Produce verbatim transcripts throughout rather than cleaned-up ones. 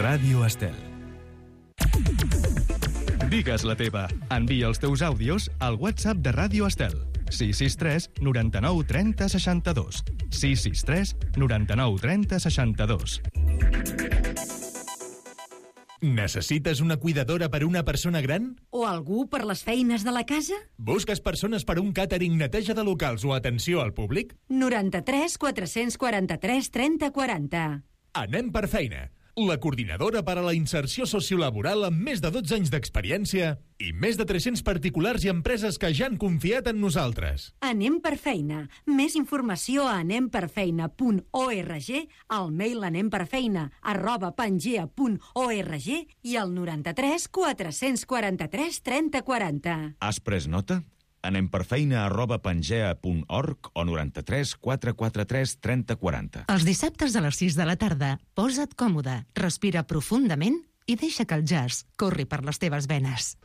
Ràdio Estel. Digues la teva. Envia els teus àudios al WhatsApp de Ràdio Estel. sis sis tres noranta-nou trenta seixanta-dos. sis sis tres noranta-nou trenta seixanta-dos. Necessites una cuidadora per una persona gran? O algú per les feines de la casa? Busques persones per un càtering, neteja de locals o atenció al públic? noranta-tres quatre-cents quaranta-tres trenta quaranta. Anem per feina. La coordinadora per a la inserció sociolaboral amb més de dotze anys d'experiència i més de tres-cents particulars i empreses que ja han confiat en nosaltres. Anem per feina. Més informació a anem per feina punt org, al mail anemperfeina arroba pangea punt org i al noranta-tres quatre-cents quaranta-tres trenta quaranta. Has pres nota? Anem per feina arroba pangea punt org o noranta-tres quatre quaranta-tres trenta quaranta. Els dissabtes a les sis de la tarda, posa't còmode, respira profundament i deixa que el jazz corri per les teves venes.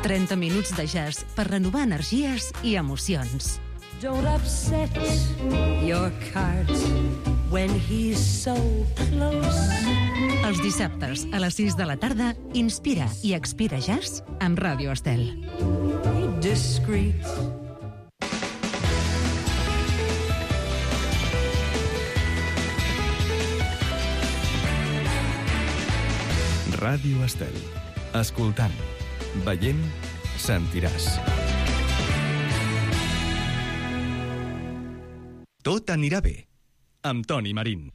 trenta minuts de jazz per renovar energies i emocions. Don't upset your cart when he's so close. Els dissabtes a les sis de la tarda, inspira i expira jazz amb Ràdio Estel. Be discreet. Ràdio Estel. Escoltant, veient, sentiràs. Tot anirà bé. Amb Toni Marín.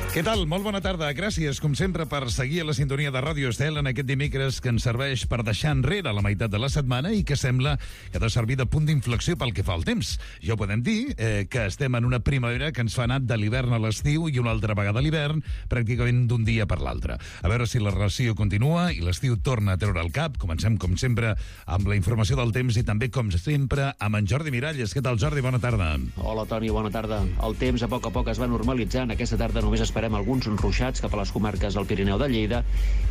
Què tal? Molt bona tarda. Gràcies, com sempre, per seguir a la sintonia de Ràdio Estel en aquest dimecres que ens serveix per deixar enrere la meitat de la setmana i que sembla que ha de servir de punt d'inflexió pel que fa al temps. Ja ho podem dir, eh, que estem en una primavera que ens fa anar de l'hivern a l'estiu i una altra vegada a l'hivern, pràcticament d'un dia per l'altre. A veure si la ració continua i l'estiu torna a treure el cap. Comencem, com sempre, amb la informació del temps i també, com sempre, amb en Jordi Miralles. Què tal, Jordi? Bona tarda. Hola, Toni, bona tarda. El temps a poc a poc es va normalitzant. Aquesta tarda només esperem alguns ruixats cap a les comarques del Pirineu de Lleida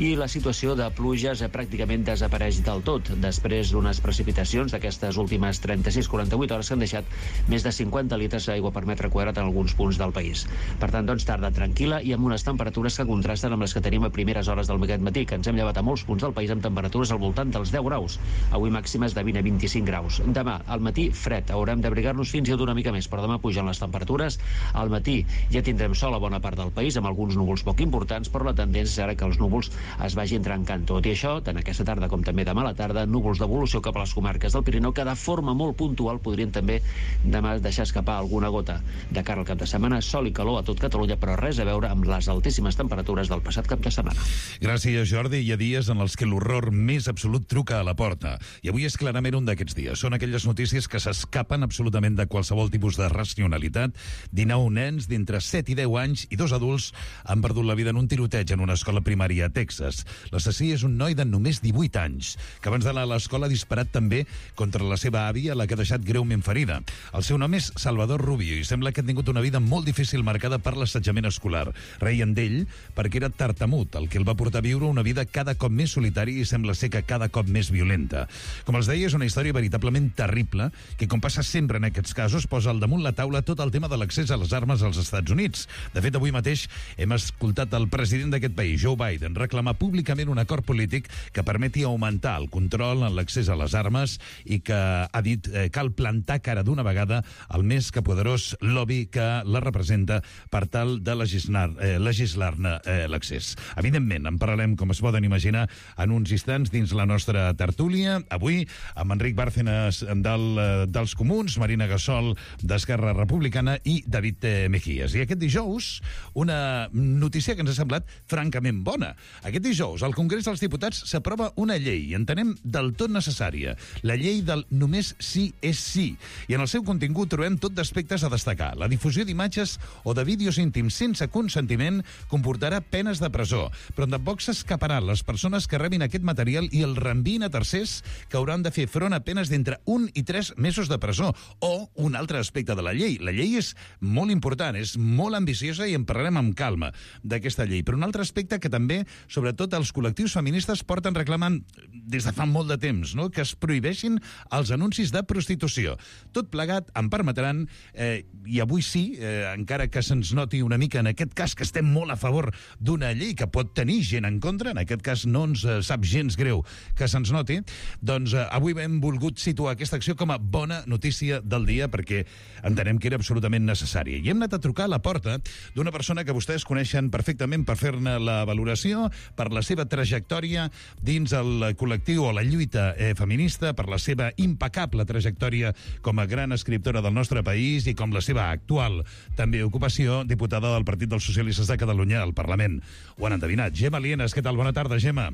i la situació de pluges pràcticament desapareix del tot després d'unes precipitacions d'aquestes últimes trenta-sis a quaranta-vuit hores que han deixat més de cinquanta litres d'aigua per metre quadrat en alguns punts del país. Per tant, doncs, tarda tranquil·la i amb unes temperatures que contrasten amb les que tenim a primeres hores del aquest matí, que ens hem llevat a molts punts del país amb temperatures al voltant dels deu graus. Avui màximes de vint a vint-i-cinc graus. Demà, al matí, fred. Haurem d'abrigar-nos fins i tot una mica més, però demà pugen les temperatures. Al matí ja tindrem sol a bona part del país, amb alguns núvols poc importants, però la tendència serà que els núvols es vagin trencant. Tot i això, tant aquesta tarda com també demà a la tarda, núvols d'evolució cap a les comarques del Pirineu que de forma molt puntual podrien també demà deixar escapar alguna gota. De cara al cap de setmana, sol i calor a tot Catalunya, però res a veure amb les altíssimes temperatures del passat cap de setmana. Gràcies, Jordi. Hi ha dies en els que l'horror més absolut truca a la porta. I avui és clarament un d'aquests dies. Són aquelles notícies que s'escapen absolutament de qualsevol tipus de racionalitat. dinou nens d'entre set i deu anys i dos adults han perdut la vida en un tiroteig en una escola primària a Texas. L'assassí és un noi de només divuit anys, que abans d'anar a l'escola ha disparat també contra la seva àvia, la que ha deixat greument ferida. El seu nom és Salvador Rubio i sembla que ha tingut una vida molt difícil marcada per l'assetjament escolar. Reien d'ell perquè era tartamut, el que el va portar a viure una vida cada cop més solitària i sembla ser que cada cop més violenta. Com els deia, és una història veritablement terrible que, com passa sempre en aquests casos, posa al damunt la taula tot el tema de l'accés a les armes als Estats Units. De fet, avui mateix hem escoltat el president d'aquest país, Joe Biden, reclamar públicament un acord polític que permeti augmentar el control en l'accés a les armes i que ha dit eh, cal plantar cara d'una vegada al més que poderós lobby que la representa per tal de legislar, eh, legislar-ne eh, l'accés. Evidentment, en parlarem, com es poden imaginar, en uns instants dins la nostra tertúlia. Avui, amb Enric Bárcenas del, eh, dels Comuns, Marina Gassol d'Esquerra Republicana i David eh, Mejías. I aquest dijous, una notícia que ens ha semblat francament bona. Aquest dijous, al Congrés dels Diputats s'aprova una llei, entenem del tot necessària, la llei del només sí és sí. I en el seu contingut trobem tot d'aspectes a destacar. La difusió d'imatges o de vídeos íntims sense consentiment comportarà penes de presó, però tampoc s'escaparan les persones que rebin aquest material i el reenviïn a tercers que hauran de fer front a penes d'entre un i tres mesos de presó. O un altre aspecte de la llei. La llei és molt important, és molt ambiciosa i en parlarem parlem amb calma d'aquesta llei. Però un altre aspecte que també, sobretot els col·lectius feministes, porten reclamant des de fa molt de temps, no? Que es prohibeixin els anuncis de prostitució. Tot plegat, em permetran, eh, i avui sí, eh, encara que se'ns noti una mica en aquest cas que estem molt a favor d'una llei que pot tenir gent en contra, en aquest cas no ens eh, sap gens greu que se'ns noti, doncs eh, avui hem volgut situar aquesta acció com a bona notícia del dia perquè entenem que era absolutament necessària. I hem anat a trucar a la porta d'una persona que vostès coneixen perfectament per fer-ne la valoració, per la seva trajectòria dins el col·lectiu o la lluita eh, feminista, per la seva impecable trajectòria com a gran escriptora del nostre país i com la seva actual també ocupació, diputada del Partit dels Socialistes de Catalunya al Parlament. Ho han endevinat. Gemma Lienas, què tal? Bona tarda, Gemma.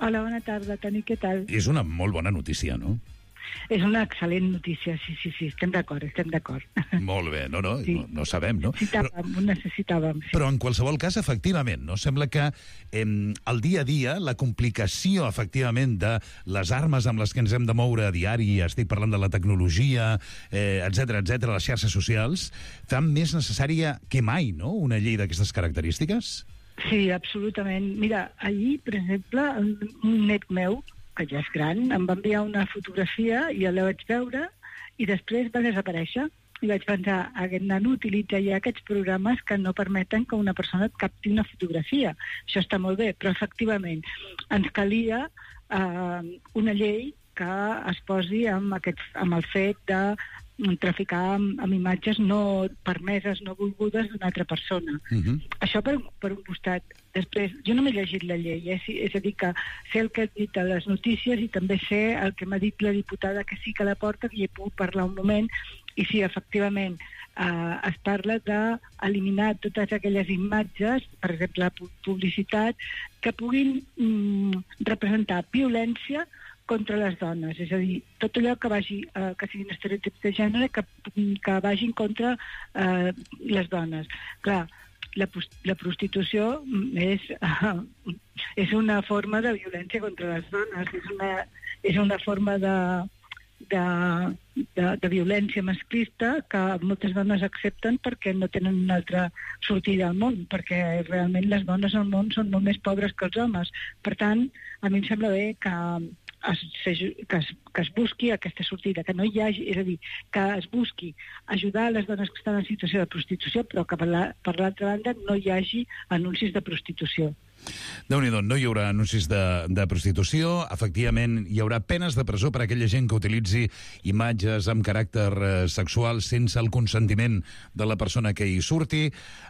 Hola, bona tarda, Toni, què tal? És una molt bona notícia, no? És una excel·lent notícia, sí, sí, sí, estem d'acord, estem d'acord. Molt bé, no, no, sí. no, no sabem, no? Necessitàvem, però, ho necessitàvem. Sí. Però en qualsevol cas, efectivament, no? Sembla que eh, el dia a dia, la complicació, efectivament, de les armes amb les que ens hem de moure a diari, estic parlant de la tecnologia, eh, etcètera, etcètera, les xarxes socials, fan més necessària que mai, no?, una llei d'aquestes característiques? Sí, absolutament. Mira, ahir, per exemple, un net meu, que ja és gran, em va enviar una fotografia i la vaig veure i després va desaparèixer. I vaig pensar, aquest nano utilitza ja aquests programes que no permeten que una persona et capti una fotografia. Això està molt bé, però efectivament ens calia eh, una llei que es posi amb, aquest, amb el fet de traficar amb, amb imatges no permeses, no volgudes d'una altra persona. Uh-huh. Això per, per un costat. Després, jo no m'he llegit la llei, eh? És a dir, que sé el que ha dit a les notícies i també sé el que m'ha dit la diputada que sí que la porta, que hi he pogut parlar un moment, i sí, efectivament, eh, es parla d'eliminar totes aquelles imatges, per exemple, publicitat, que puguin mm, representar violència contra les dones, és a dir, tot allò que vagi, eh, que siguin estereotips de gènere que, que vagin contra eh, les dones. Clar, la, la prostitució és, eh, és una forma de violència contra les dones, és una, és una forma de, de, de, de violència masclista que moltes dones accepten perquè no tenen una altra sortida al món, perquè realment les dones al món són molt més pobres que els homes. Per tant, a mi em sembla bé que Es, que, es, que es busqui aquesta sortida, que no hi hagi, és a dir, que es busqui ajudar les dones que estan en situació de prostitució, però que per l'altra la, banda no hi hagi anuncis de prostitució. Déu-n'hi-do, no hi haurà anuncis de, de prostitució, efectivament hi haurà penes de presó per a aquella gent que utilitzi imatges amb caràcter eh, sexual sense el consentiment de la persona que hi surti.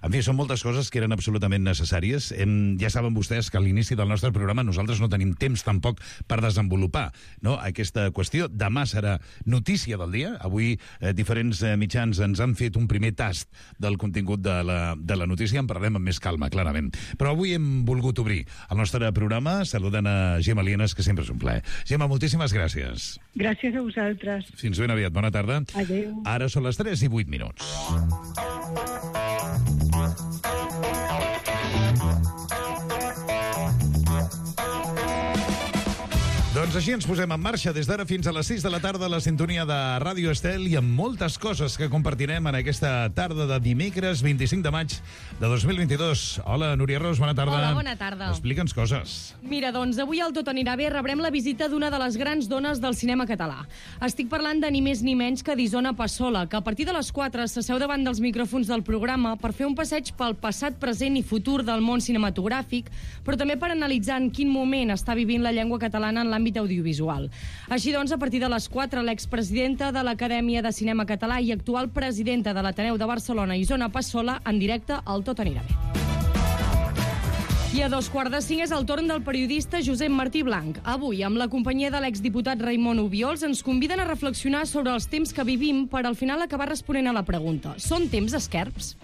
En fi, són moltes coses que eren absolutament necessàries. Hem, ja saben vostès que a l'inici del nostre programa nosaltres no tenim temps tampoc per desenvolupar, no?, aquesta qüestió. Demà serà notícia del dia. Avui eh, diferents eh, mitjans ens han fet un primer tast del contingut de la, de la notícia. En parlem amb més calma, clarament. Però avui hem volgut volgut obrir el nostre programa saludant a Gemma Lienas, que sempre és un plaer. Gemma, moltíssimes gràcies. Gràcies a vosaltres. Fins ben aviat, bona tarda. Adéu. Ara són les tres i vuit minuts. Doncs així ens posem en marxa des d'ara fins a les sis de la tarda a la sintonia de Ràdio Estel i amb moltes coses que compartirem en aquesta tarda de dimecres vint-i-cinc de maig de dos mil vint-i-dos. Hola, Núria Ros, bona tarda. Hola, bona tarda. Explica'ns coses. Mira, doncs avui al Tot anirà bé rebrem la visita d'una de les grans dones del cinema català. Estic parlant de ni més ni menys que d'Isona Passola, que a partir de les quatre s'asseu davant dels micròfons del programa per fer un passeig pel passat, present i futur del món cinematogràfic, però també per analitzar en quin moment està vivint la llengua catalana en l'àmbit audiovisual. Així doncs, a partir de les quatre, l'expresidenta de l'Acadèmia de Cinema Català i actual presidenta de l'Ateneu de Barcelona, Isona Passola, en directe al Tot anirà bé. I a dos quarts de cinc és el torn del periodista Josep Martí Blanc. Avui, amb la companyia de l'exdiputat Raimon Obiols, ens conviden a reflexionar sobre els temps que vivim per al final acabar responent a la pregunta: són temps esquerps?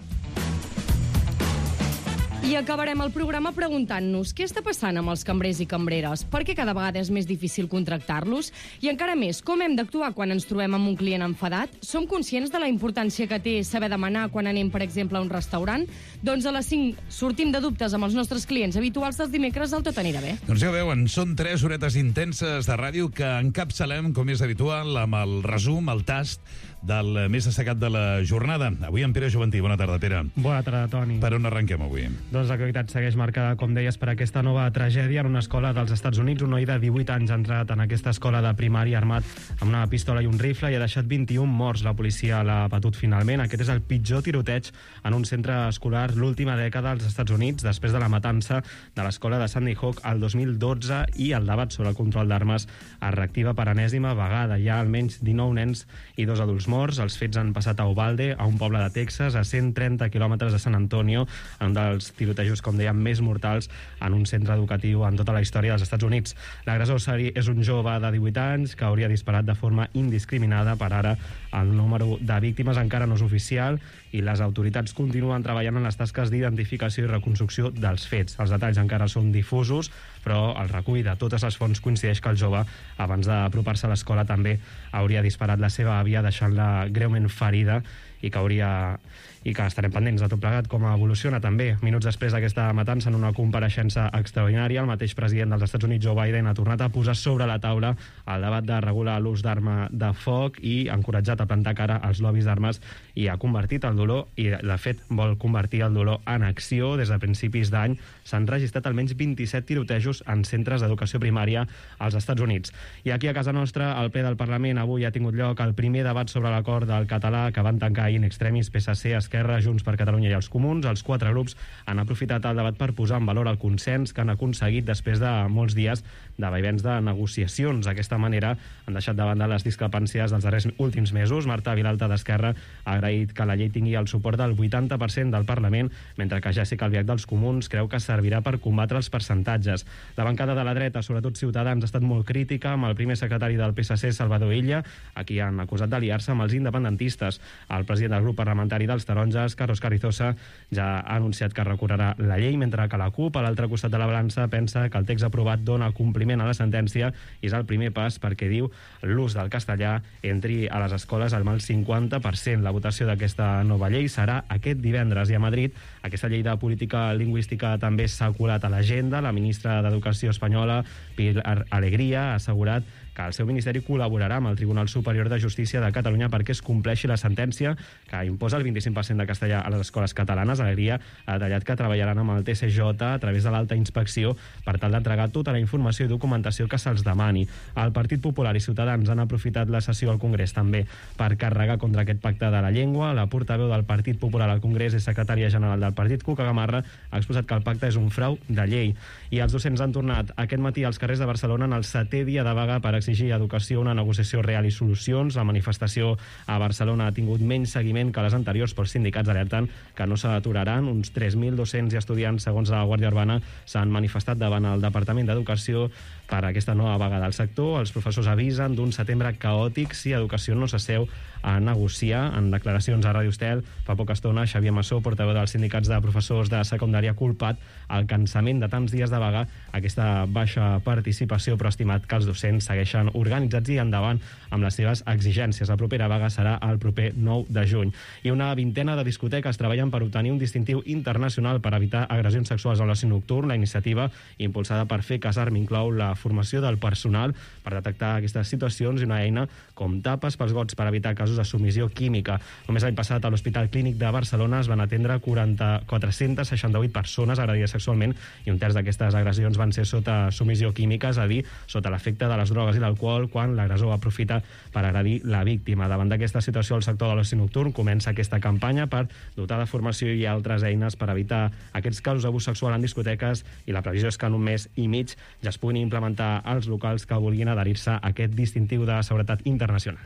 I acabarem el programa preguntant-nos què està passant amb els cambrers i cambreres, per què cada vegada és més difícil contractar-los i encara més, com hem d'actuar quan ens trobem amb un client enfadat? Som conscients de la importància que té saber demanar quan anem, per exemple, a un restaurant? Doncs a les cinc sortim de dubtes amb els nostres clients habituals dels dimecres del Tot anirà bé. Doncs ja ho veuen, són tres horetes intenses de ràdio que encapçalem, com és habitual, amb el resum, el tast del més destacat de la jornada. Avui en Pere Joventí. Bona tarda, Pere. Bona tarda, Toni. Per on arrenquem avui? Doncs l'actualitat segueix marcada, com deies, per aquesta nova tragèdia en una escola dels Estats Units. Un noi de divuit anys ha entrat en aquesta escola de primària armat amb una pistola i un rifle i ha deixat vint-i-un morts. La policia l'ha batut finalment. Aquest és el pitjor tiroteig en un centre escolar l'última dècada als Estats Units, després de la matança de l'escola de Sandy Hook el dos mil dotze, i el debat sobre el control d'armes es reactiva per enèsima vegada. Hi ha almenys dinou nens i dos adults morts. Els fets han passat a Uvalde, a un poble de Texas, a cent trenta quilòmetres de San Antonio, en un dels tirotejos, com dèiem, més mortals en un centre educatiu en tota la història dels Estats Units. L'agressor és un jove de divuit anys que hauria disparat de forma indiscriminada. Per ara, el número de víctimes encara no és oficial i les autoritats continuen treballant en les tasques d'identificació i reconstrucció dels fets. Els detalls encara són difusos, però el recull de totes les fonts coincideix que el jove, abans d'apropar-se a l'escola, també hauria disparat la seva àvia, deixant-la greument ferida, i que hauria i que estarem pendents de tot plegat com evoluciona també. Minuts després d'aquesta matança, en una compareixença extraordinària, el mateix president dels Estats Units, Joe Biden, ha tornat a posar sobre la taula el debat de regular l'ús d'arma de foc i ha encoratjat a plantar cara als lobbies d'armes i ha convertit el dolor, i de fet vol convertir el dolor en acció. Des de principis d'any s'han registrat almenys vint-i-set tirotejos en centres d'educació primària als Estats Units. I aquí a casa nostra, al ple del Parlament, avui ha tingut lloc el primer debat sobre l'acord del català que van tancar in extremis P S C, Esquerra, Junts per Catalunya i els Comuns. Els quatre grups han aprofitat el debat per posar en valor el consens que han aconseguit després de molts dies de vaivens de negociacions. D'aquesta manera han deixat de banda les discrepàncies dels darrers últims mesos. Marta Vilalta, d'Esquerra, ha agraït que la llei tingui el suport del vuitanta per cent del Parlament, mentre que Jessica Albiach, dels Comuns, creu que servirà per combatre els percentatges. La bancada de la dreta, sobretot Ciutadans, ha estat molt crítica amb el primer secretari del P S C, Salvador Illa, a qui han acusat d'aliar-se amb els independentistes. El president del grup parlamentari dels Taronges, Carlos Carrizosa, ja ha anunciat que recorrerà la llei, mentre que la CUP, a l'altre costat de la balança, pensa que el text aprovat dona compliment a la sentència i és el primer pas perquè, diu, l'ús del castellà entri a les escoles al mal cinquanta per cent. La votació d'aquesta nova llei serà aquest divendres, i a Madrid aquesta llei de política lingüística també s'ha colat a l'agenda. La ministra d'Educació espanyola, Pilar Alegría, ha assegurat que el seu ministeri col·laborarà amb el Tribunal Superior de Justícia de Catalunya perquè es compleixi la sentència que imposa el vint-i-cinc per cent de castellà a les escoles catalanes. Alegria ha detallat que treballaran amb el T C J a través de l'alta inspecció per tal d'entregar tota la informació i documentació que se'ls demani. El Partit Popular i Ciutadans han aprofitat la sessió al Congrés també per carregar contra aquest pacte de la llengua. La portaveu del Partit Popular al Congrés i secretària general del partit, Cuca Gamarra, ha exposat que el pacte és un frau de llei. I els docents han tornat aquest matí als carrers de Barcelona en el setè dia de vaga per exigir a Educació una negociació real i solucions. La manifestació a Barcelona ha tingut menys seguiment que les anteriors, però els sindicats alerten que no s'aturaran. Uns tres mil docents i estudiants, segons la Guàrdia Urbana, s'han manifestat davant el Departament d'Educació per aquesta nova vaga del sector. Els professors avisen d'un setembre caòtic si Educació no s'asseu a negociar. En declaracions a Ràdio Estel fa poca estona, Xavier Massó, portaveu dels sindicats de professors de secundària, ha culpat el cansament de tants dies de vaga, aquesta baixa participació, però ha estimat que els docents segueixen organitzats i endavant amb les seves exigències. La propera vaga serà el proper nou de juny. I una vintena de discoteques treballen per obtenir un distintiu internacional per evitar agressions sexuals a l'oci nocturn. La iniciativa, impulsada per Fer Casar, inclou la formació del personal per detectar aquestes situacions i una eina com tapes pels gots per evitar casos de submissió química. Només l'any passat a l'Hospital Clínic de Barcelona es van atendre quatre-centes seixanta-vuit persones agredides sexualment i un terç d'aquestes agressions van ser sota submissió química, és a dir, sota l'efecte de les drogues i l'alcohol, quan l'agressor aprofita per agredir la víctima. Davant d'aquesta situació, el sector de l'oci nocturn comença aquesta campanya per dotar de formació i altres eines per evitar aquests casos d'abús sexual en discoteques, i la previsió és que en un mes i mig ja es puguin implementar als locals que vulguin adherir-se a aquest distintiu de seguretat internacional.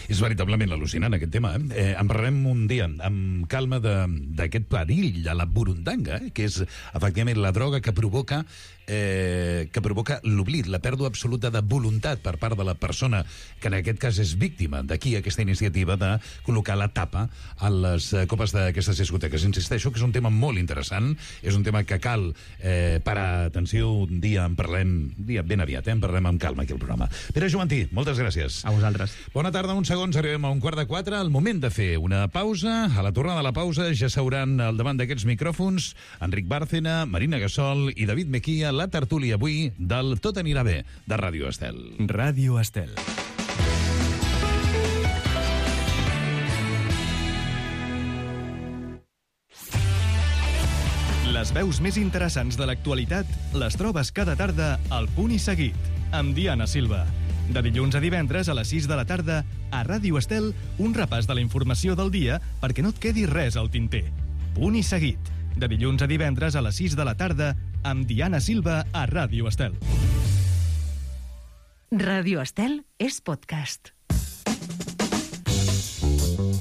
És veritablement al·lucinant aquest tema. Eh? Eh, en parlarem un dia amb calma d'aquest perill a la burundanga, eh? Que és efectivament la droga que provoca eh, que provoca l'oblit, la pèrdua absoluta de voluntat per part de la persona que en aquest cas és víctima. D'aquí aquesta iniciativa de col·locar la tapa a les copes d'aquestes discoteques. Insisteixo que és un tema molt interessant, és un tema que cal eh, parar atenció. Un dia en parlem, un dia ben aviat, eh? En parlem amb calma aquí al programa. Pere Joventí, moltes gràcies. A vosaltres. Bona tarda, uns segons, arribem a un quart de quatre, el moment de fer una pausa. A la tornada de la pausa ja seuran al davant d'aquests micròfons Enric Bárcena, Marina Gassol i David Mejía, la tertúlia avui del Tot anirà bé, de Ràdio Estel. Ràdio Estel. Les veus més interessants de l'actualitat les trobes cada tarda al Punt i Seguit, amb Diana Silva. De dilluns a divendres a les sis de la tarda, a Ràdio Estel, un repàs de la informació del dia perquè no et quedi res al tinter. Punt i Seguit. De dilluns a divendres a les sis de la tarda, amb Diana Silva a Ràdio Estel. Ràdio Estel és podcast.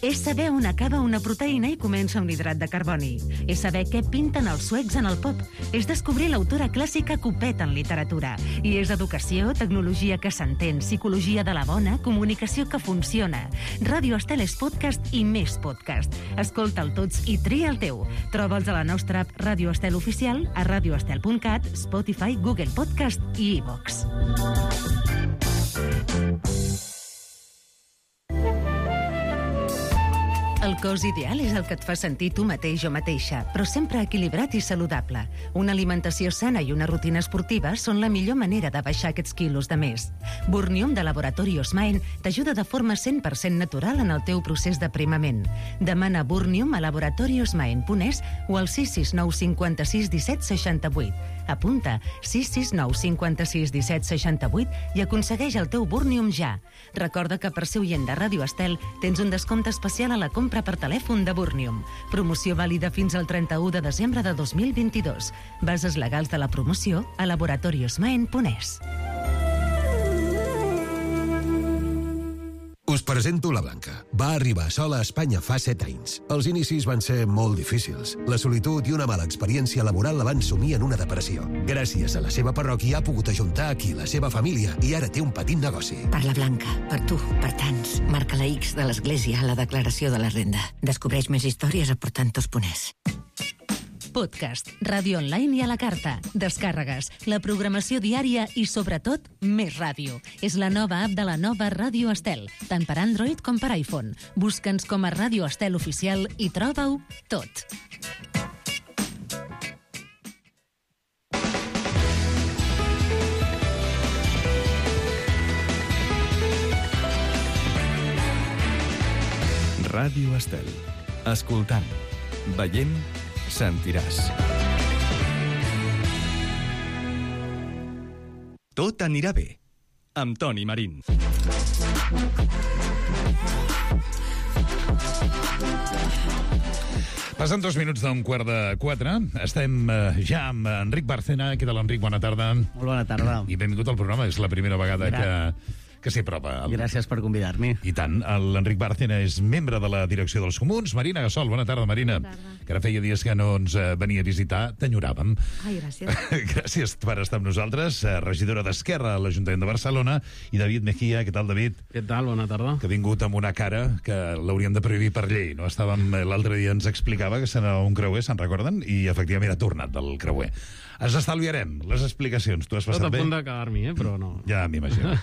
És saber on acaba una proteïna i comença un hidrat de carboni. És saber què pinten els suecs en el pop. És descobrir l'autora clàssica Copet en literatura. I és educació, tecnologia que s'entén, psicologia de la bona, comunicació que funciona. Ràdio Estel és podcast i més podcast. Escolta'l tots i tria el teu. Troba'ls a la nostra app Ràdio Estel Oficial, a radioestel punt cat, Spotify, Google Podcast i iVox. El cos ideal és el que et fa sentir tu mateix o mateixa, però sempre equilibrat i saludable. Una alimentació sana i una rutina esportiva són la millor manera de baixar aquests quilos de més. Burnium de Laboratori Osmaen t'ajuda de forma cent per cent natural en el teu procés d'aprimament. Demana Burnium a laboratori osmaen punt es o al sis sis nou cinc sis disset seixanta vuit. Apunta sis sis nou cinc sis disset seixanta vuit i aconsegueix el teu Burnium ja. Recorda que per ser oient de Ràdio Estel tens un descompte especial a la compra per telèfon de Burnium. Promoció vàlida fins al trenta-u de desembre de dos mil vint-i-dos. Bases legals de la promoció a laboratori osmaen punt es. Us presento la Blanca. Va arribar sola a Espanya fa set anys. Els inicis van ser molt difícils. La solitud i una mala experiència laboral la van sumir en una depressió. Gràcies a la seva parròquia ha pogut ajuntar aquí la seva família i ara té un petit negoci. Per la Blanca, per tu, per tants. Marca la X de l'Església a la declaració de la renda. Descobreix més històries a portantos punt es. Podcast, ràdio online i a la carta, descàrregues, la programació diària i, sobretot, més ràdio. És la nova app de la nova Ràdio Estel, tant per Android com per iPhone. Busca'ns com a Ràdio Estel Oficial i troba-ho tot. Ràdio Estel. Escoltant, veient, sentiràs. Tot anirà bé, amb Toni Marín. Passen dos minuts d'un quart de quatre. Estem eh, ja amb Enric Bárcena. Què tal, Enric? Bona tarda. Molt bona tarda. I benvingut al programa. És la primera vegada que... que s'hi apropa. Gràcies per convidar-me. I tant. L'Enric Bárcena és membre de la direcció dels Comuns. Marina Gassol, bona tarda, Marina. Bona tarda. Que ara feia dies que no ens venia a visitar. T'enyoràvem. Ai, gràcies. Gràcies per estar amb nosaltres. Regidora d'Esquerra a l'Ajuntament de Barcelona. I David Mejía. Què tal, David? Què tal? Bona tarda. Que ha vingut amb una cara que l'haurien de prohibir per llei. No? Estàvem, l'altre dia ens explicava que s'anava un creuer, se'n recorden? I efectivament ha tornat del creuer. Ens estalviarem les explicacions. Tu has passat bé? Tot a punt d'acabar-m'hi, eh? Però no. Ja m'imagino.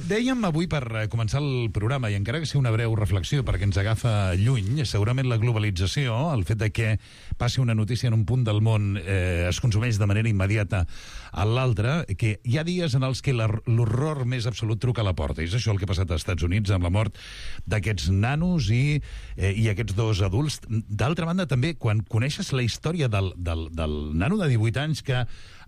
Dèiem avui, per començar el programa, i encara que sigui una breu reflexió perquè ens agafa lluny, segurament la globalització, el fet de que passi una notícia en un punt del món eh, es consumeix de manera immediata a l'altre, que hi ha dies en els que l'horror més absolut truca a la porta. I és això el que ha passat als Estats Units amb la mort d'aquests nanos i, eh, i aquests dos adults. D'altra banda, també, quan coneixes la història del, del, del nano de divuit anys que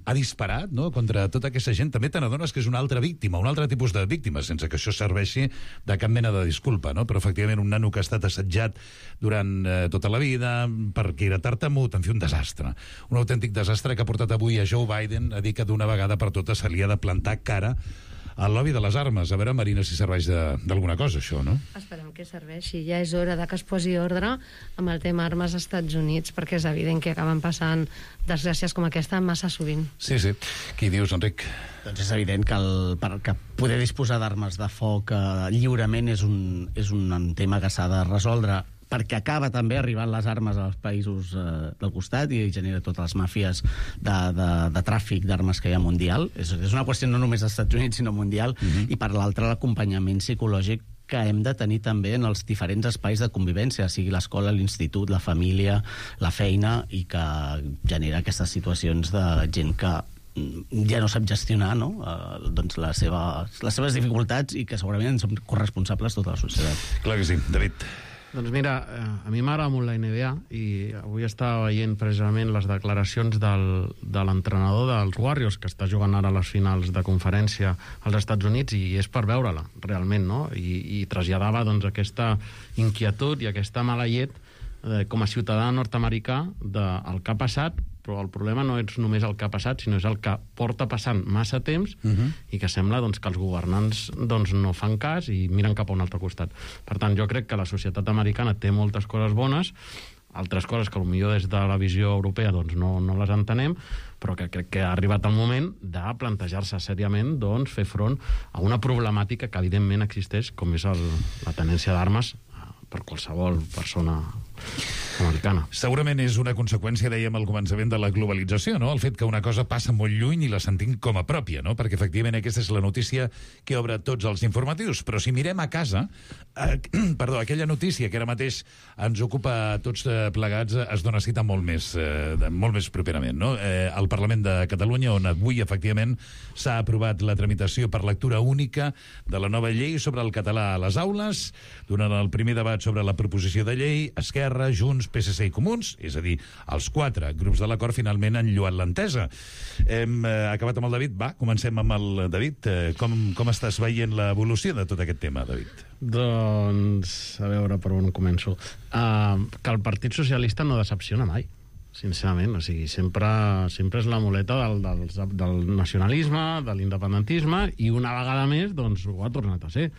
ha disparat, no?, contra tota aquesta gent, també te n'adones que és una altra víctima, un altre tipus de víctima, sense que això serveixi de cap mena de disculpa, no? Però efectivament un nano que ha estat assetjat durant eh, tota la vida perquè era tartamut, en fi, un desastre. Un autèntic desastre que ha portat avui a Joe Biden a dir que d'una vegada per totes se li ha de plantar cara al lobby de les armes. A veure, Marina, si serveix d'alguna cosa, això, no? Esperem que serveixi. Ja és hora de que es posi ordre amb el tema armes als Estats Units, perquè és evident que acaben passant desgràcies com aquesta massa sovint. Sí, sí. Què dius, Enric? Doncs és evident que, el, per, que poder disposar d'armes de foc eh, lliurement és un, és un tema que s'ha de resoldre, perquè acaba també arribant les armes als països eh, del costat i genera totes les màfies de, de, de tràfic d'armes que hi ha mundial. És, és una qüestió no només dels Estats Units, sinó mundial, mm-hmm. I per l'altra l'acompanyament psicològic que hem de tenir també en els diferents espais de convivència, sigui l'escola, l'institut, la família, la feina, i que genera aquestes situacions de gent que ja no sap gestionar, no? Eh, doncs la seva, les seves dificultats, i que segurament en som corresponsables tota la societat. Clar que sí. David? Doncs mira, a mi m'agrada molt la N B A i avui estava veient precisament les declaracions del, de l'entrenador dels Warriors, que està jugant ara a les finals de conferència als Estats Units, i és per veure-la, realment, no? I, i traslladava doncs, aquesta inquietud i aquesta mala llet eh, com a ciutadà nord-americà del que ha passat, però el problema no és només el que ha passat, sinó és el que porta passant massa temps uh-huh. i que sembla doncs, que els governants doncs, no fan cas i miren cap a un altre costat. Per tant, jo crec que la societat americana té moltes coses bones, altres coses que potser des de la visió europea doncs, no, no les entenem, però que crec que ha arribat el moment de plantejar-se seriament doncs, fer front a una problemàtica que evidentment existeix, com és el, la tenència d'armes per qualsevol persona americana. Segurament és una conseqüència, dèiem al començament, de la globalització, no? El fet que una cosa passa molt lluny i la sentim com a pròpia, no? Perquè efectivament aquesta és la notícia que obre tots els informatius. Però si mirem a casa, eh, perdó, aquella notícia que ara mateix ens ocupa a tots plegats es dona cita molt més, eh, molt més properament, no? Eh, al Parlament de Catalunya, on avui efectivament s'ha aprovat la tramitació per lectura única de la nova llei sobre el català a les aules, durant el primer debat sobre la proposició de llei, Esquerra, Junts, P S C i Comuns, és a dir, els quatre grups de l'acord finalment han lloat l'entesa. Hem eh, acabat amb el David. Va, comencem amb el David. Eh, com, com estàs veient l'evolució de tot aquest tema, David? Doncs, a veure per on començo. Uh, que el Partit Socialista no decepciona mai, sincerament. O sigui, sempre, sempre és la muleta del, del, del nacionalisme, de l'independentisme, i una vegada més doncs, ho ha tornat a ser.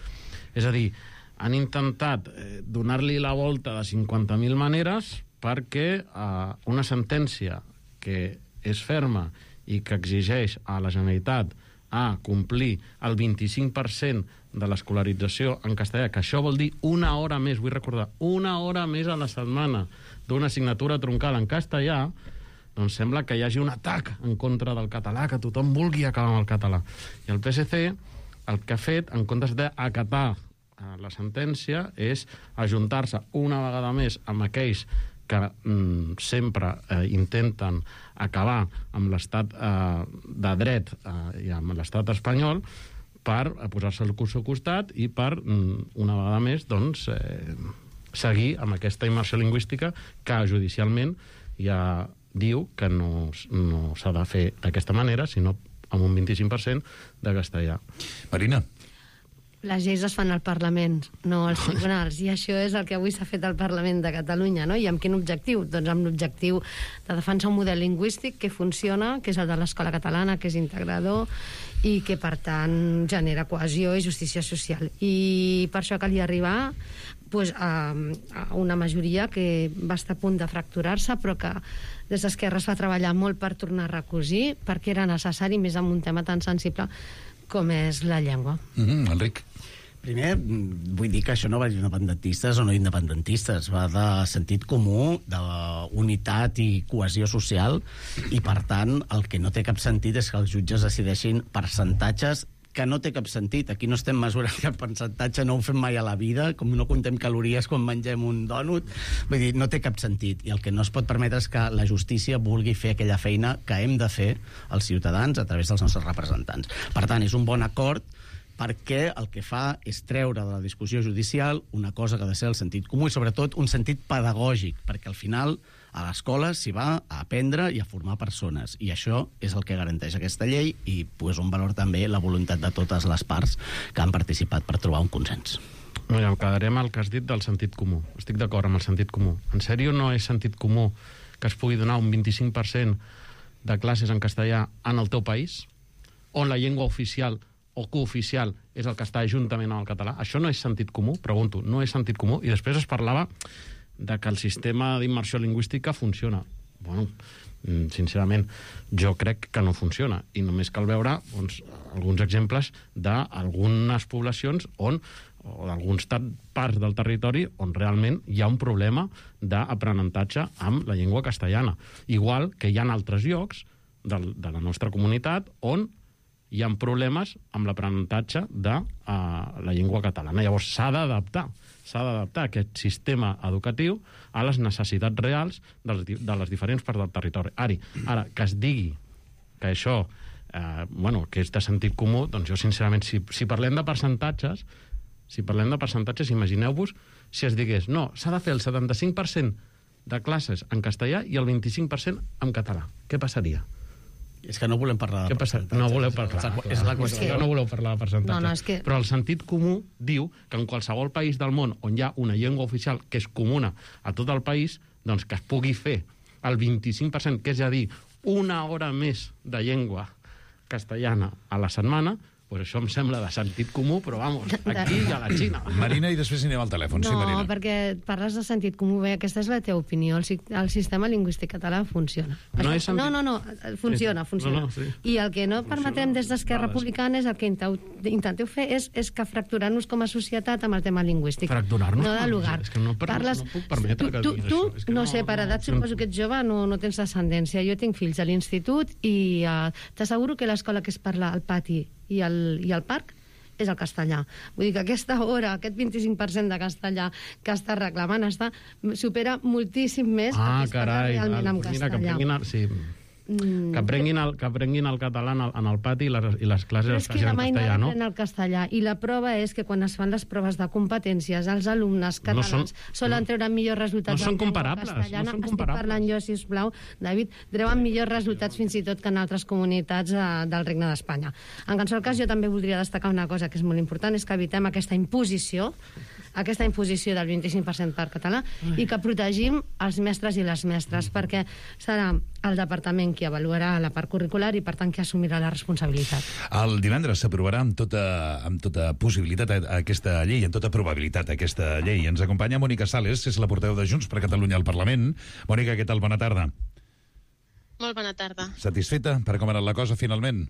És a dir, han intentat eh, donar-li la volta de cinquanta mil maneres perquè eh, una sentència que és ferma i que exigeix a la Generalitat a complir el vint-i-cinc per cent de l'escolarització en castellà, que això vol dir una hora més, vull recordar, una hora més a la setmana d'una assignatura troncal en castellà, doncs sembla que hi hagi un atac en contra del català, que tothom vulgui acabar amb el català. I el P S C el que ha fet, en comptes d'acatar la sentència, és ajuntar-se una vegada més amb aquells que mm, sempre eh, intenten acabar amb l'estat eh, de dret eh, i amb l'estat espanyol per posar-se al seu costat i per, mm, una vegada més, doncs, eh, seguir amb aquesta immersió lingüística que judicialment ja diu que no, no s'ha de fer d'aquesta manera, sinó amb un vint-i-cinc per cent de castellà. Marina? Les lleis es fan al Parlament, no als tribunals, i això és el que avui s'ha fet al Parlament de Catalunya, no? I amb quin objectiu? Doncs amb l'objectiu de defensar un model lingüístic que funciona, que és el de l'escola catalana, que és integrador i que, per tant, genera cohesió i justícia social. I per això calia arribar pues, a, a una majoria que va estar a punt de fracturar-se, però que des d'Esquerra es va treballar molt per tornar a recosir, perquè era necessari, més amb un tema tan sensible com és la llengua. Mm-hmm, Enric? Primer, vull dir que això no va d'independentistes o no independentistes, va de sentit comú, d'unitat i cohesió social, i per tant el que no té cap sentit és que els jutges decideixin percentatges que no té cap sentit. Aquí no estem mesurant cap percentatge, no ho fem mai a la vida, com no contem calories quan mengem un dònut. Vull dir, no té cap sentit. I el que no es pot permetre és que la justícia vulgui fer aquella feina que hem de fer els ciutadans a través dels nostres representants. Per tant, és un bon acord perquè el que fa és treure de la discussió judicial una cosa que ha de ser el sentit comú i, sobretot, un sentit pedagògic, perquè al final a l'escola s'hi va a aprendre i a formar persones, i això és el que garanteix aquesta llei i pues, un valor també la voluntat de totes les parts que han participat per trobar un consens. Mira, em quedaré amb el que has dit del sentit comú. Estic d'acord amb el sentit comú. En sèrio no és sentit comú que es pugui donar un vint-i-cinc per cent de classes en castellà en el teu país, on la llengua oficial o cooficial és el que està juntament amb el català? Això no és sentit comú? Pregunto, no és sentit comú? I després es parlava de que el sistema d'immersió lingüística funciona. Bueno, sincerament, jo crec que no funciona, i només cal veure doncs, alguns exemples d'algunes poblacions on o d'alguns parts del territori on realment hi ha un problema d'aprenentatge amb la llengua castellana. Igual que hi ha altres llocs de, de la nostra comunitat on hi ha problemes amb l'aprenentatge de uh, la llengua catalana. Llavors s'ha d'adaptar, s'ha d'adaptar aquest sistema educatiu a les necessitats reals de les, de les diferents parts del territori. Ara, ara que es digui que això, eh, bueno, que és de sentit comú, doncs jo sincerament, si, si parlem de percentatges, si parlem de percentatges, imagineu-vos si es digués, no, s'ha de fer el setanta-cinc per cent de classes en castellà i el vint-i-cinc per cent en català. Què passaria? És que no volem parlar de Què passa? No voleu parlar. És la qüestió. No voleu parlar de percentatge. No, no, és que... Però el sentit comú diu que en qualsevol país del món on hi ha una llengua oficial que és comuna a tot el país, doncs que es pugui fer el vint-i-cinc per cent, que és a dir, una hora més de llengua castellana a la setmana, pues això em sembla de sentit comú, però vamos, aquí i a la Xina. Marina, i després anem al telèfon. No, sí, Marina. perquè parles de sentit comú. Bé, aquesta és la teva opinió. El, el sistema lingüístic català funciona. No, Això, sentit... no, no, no, funciona, funciona. No, no, sí. I el que no permetrem des d'Esquerra Vale, Republicana és el que intenteu fer és, és que fracturar-nos com a societat amb el tema lingüístic. Fracturar-nos? No de lugar. És que no, per, Parles... no puc permetre que tu, diguis tu, això. És que no, no sé, per edat no, suposo que ets jove, no, no tens descendència. Jo tinc fills a l'institut i uh, t'asseguro que l'escola que es parla al pati i al, i al parc és el castellà. Vull dir que aquesta hora, aquest vint-i-cinc per cent de castellà que està reclamant, està, supera moltíssim més ah, el que es parla carai, realment en mira, castellà. Que prenguin el, sí. Mm. Que, aprenguin el, que aprenguin el català en el, en el pati i les, i les classes Però es és que facin la en mai no castellà, no? aprèn el castellà. I la prova és que quan es fan les proves de competències, els alumnes catalans No no són- solen treure millors resultats. no són en llengua comparables, no castellana. són Estic comparables. parlant jo, sisplau, David, treuen millors resultats fins i tot que en altres comunitats eh, del Regne d'Espanya. En qualsevol cas, jo també voldria destacar una cosa que és molt important, és que evitem aquesta imposició aquesta imposició del vint-i-cinc per cent per català i que protegim els mestres i les mestres, perquè serà el departament qui avaluarà la part curricular i, per tant, qui assumirà la responsabilitat. El divendres s'aprovarà amb tota, amb tota possibilitat a- aquesta llei, amb tota probabilitat aquesta llei. Ens acompanya Mònica Sales, és la portaveu de Junts per Catalunya al Parlament. Mònica, què tal? Bona tarda. Molt bona tarda. Satisfeta per com ha anat la cosa, finalment?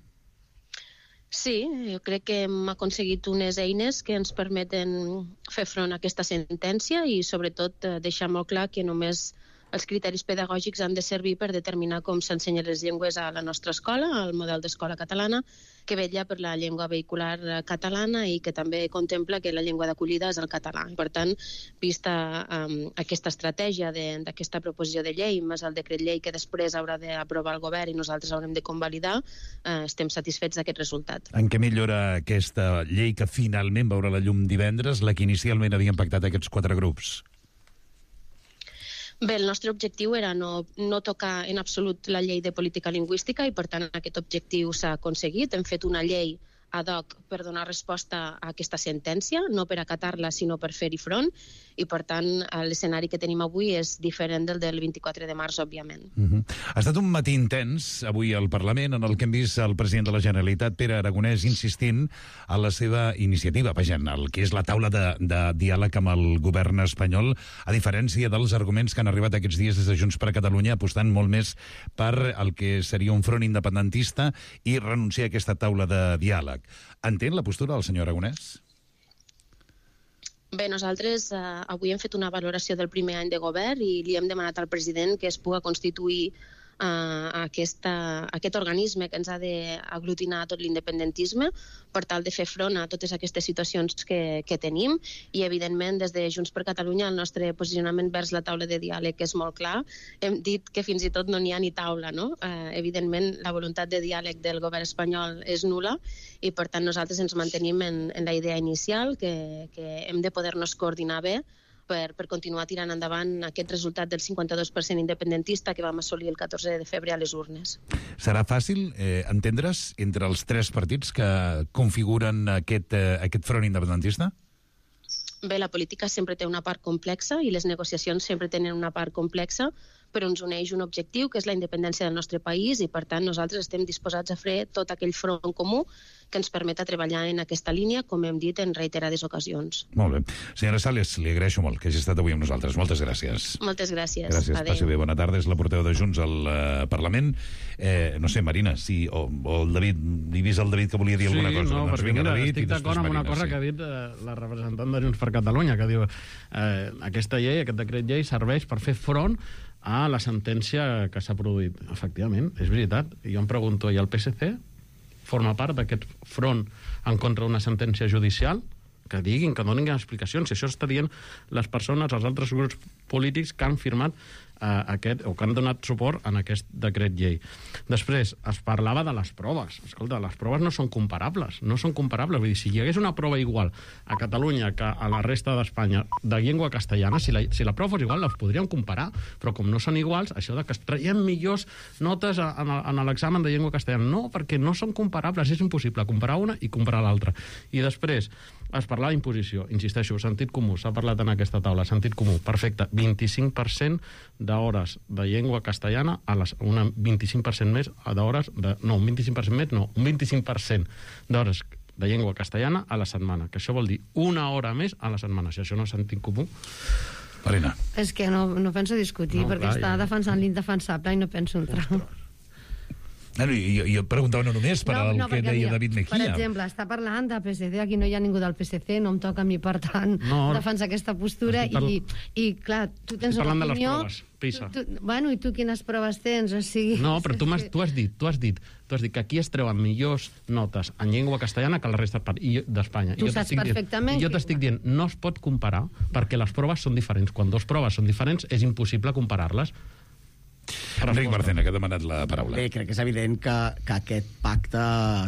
Sí, jo crec que hem aconseguit unes eines que ens permeten fer front a aquesta sentència i, sobretot, eh, deixar molt clar que només els criteris pedagògics han de servir per determinar com s'ensenyen les llengües a la nostra escola, al model d'escola catalana, que vetlla per la llengua vehicular eh, catalana i que també contempla que la llengua d'acollida és el català. Per tant, vista um, aquesta estratègia de- d'aquesta proposició de llei, més el decret llei que després haurà d'aprovar el govern i nosaltres haurem de convalidar, eh, estem satisfets d'aquest resultat. En què millora aquesta llei que finalment veurà la llum divendres, la que inicialment havien pactat aquests quatre grups? Bé, el nostre objectiu era no, no tocar en absolut la llei de política lingüística i, per tant, aquest objectiu s'ha aconseguit. Hem fet una llei ad hoc per donar resposta a aquesta sentència, no per acatar-la, sinó per fer-hi front, i, per tant, l'escenari que tenim avui és diferent del del vint-i-quatre de març, òbviament. Uh -huh. Ha estat un matí intens avui al Parlament en el que hem vist el president de la Generalitat, Pere Aragonès, insistint en la seva iniciativa, vaja, en el que és la taula de, de diàleg amb el govern espanyol, a diferència dels arguments que han arribat aquests dies des de Junts per Catalunya, apostant molt més per el que seria un front independentista i renunciar a aquesta taula de diàleg. Entén la postura del senyor Aragonès? Bé, nosaltres eh, avui hem fet una valoració del primer any de govern i li hem demanat al president que es pugui constituir eh, aquesta, aquest organisme que ens ha d'aglutinar tot l'independentisme per tal de fer front a totes aquestes situacions que, que tenim i, evidentment, des de Junts per Catalunya el nostre posicionament vers la taula de diàleg és molt clar. Hem dit que fins i tot no n'hi ha ni taula, no? Eh, evidentment, la voluntat de diàleg del govern espanyol és nul·la i, per tant, nosaltres ens mantenim en, en la idea inicial que, que hem de poder-nos coordinar bé per, per continuar tirant endavant aquest resultat del cinquanta-dos per cent independentista que vam assolir el catorze de febrer a les urnes. Serà fàcil eh, entendre's entre els tres partits que configuren aquest, eh, aquest front independentista? Bé, la política sempre té una part complexa i les negociacions sempre tenen una part complexa, però ens uneix un objectiu, que és la independència del nostre país, i, per tant, nosaltres estem disposats a fer tot aquell front comú que ens permeta treballar en aquesta línia, com hem dit en reiterades ocasions. Molt bé. Senyora Sales, li agraeixo molt que hagi estat avui amb nosaltres. Moltes gràcies. Moltes gràcies. Gràcies, Adéu. passi bé. Bona tarda. És la portaveu de Junts al eh, Parlament. Eh, no sé, Marina, si, o, o el David, he vist el David que volia dir alguna cosa. Sí, no, doncs perquè vinga, mira, David, estic i després d'acord amb una Marina, cosa sí. que ha dit eh, la representant de Junts per Catalunya, que diu eh, aquesta llei, aquest decret llei, serveix per fer front a la sentència que s'ha produït. Efectivament, és veritat. I jo em pregunto, i el P S C forma part d'aquest front en contra d'una sentència judicial? Que diguin, que donin explicacions. Si això està dient les persones, els altres grups polítics que han firmat aquest, o que han donat suport en aquest decret llei. Després, es parlava de les proves. Escolta, les proves no són comparables, no són comparables. Vull dir, si hi hagués una prova igual a Catalunya que a la resta d'Espanya de llengua castellana, si la, si la prova fos igual, les podríem comparar, però com no són iguals, això de que es traiem millors notes en, en l'examen de llengua castellana, no, perquè no són comparables, és impossible comparar una i comparar l'altra. I després, es parlava d'imposició, insisteixo, sentit comú, s'ha parlat en aquesta taula, sentit comú, perfecte, vint-i-cinc per cent d'hores de llengua castellana, a les, una vint-i-cinc per cent més d'hores, de, no, un vint-i-cinc per cent més, no, un vint-i-cinc per cent d'hores de llengua castellana a la setmana, que això vol dir una hora més a la setmana. Si això no és sentit comú... Marina. És que no, no penso discutir, no, perquè clar, està ja... defensant l'indefensable i no penso entrar. No, jo, jo preguntava no només per no, al no, que deia David Mejía. Per exemple, està parlant de P S C, aquí no hi ha ningú del P S C, no em toca a mi, per tant, no, defensar aquesta postura, parl... i, i, clar, tu tens una opinió... De les proves, PISA. Tu, tu, bueno, i tu quines proves tens? O sigui, no, però tu, has, tu has dit, tu has dit, tu has dit que aquí es treuen millors notes en llengua castellana que la resta d'Espanya. Tu saps perfectament. I jo t'estic dient, no es pot comparar, perquè les proves són diferents. Quan dues proves són diferents, és impossible comparar-les. Enric Marcena, que ha demanat la paraula. Bé, crec que és evident que, que aquest pacte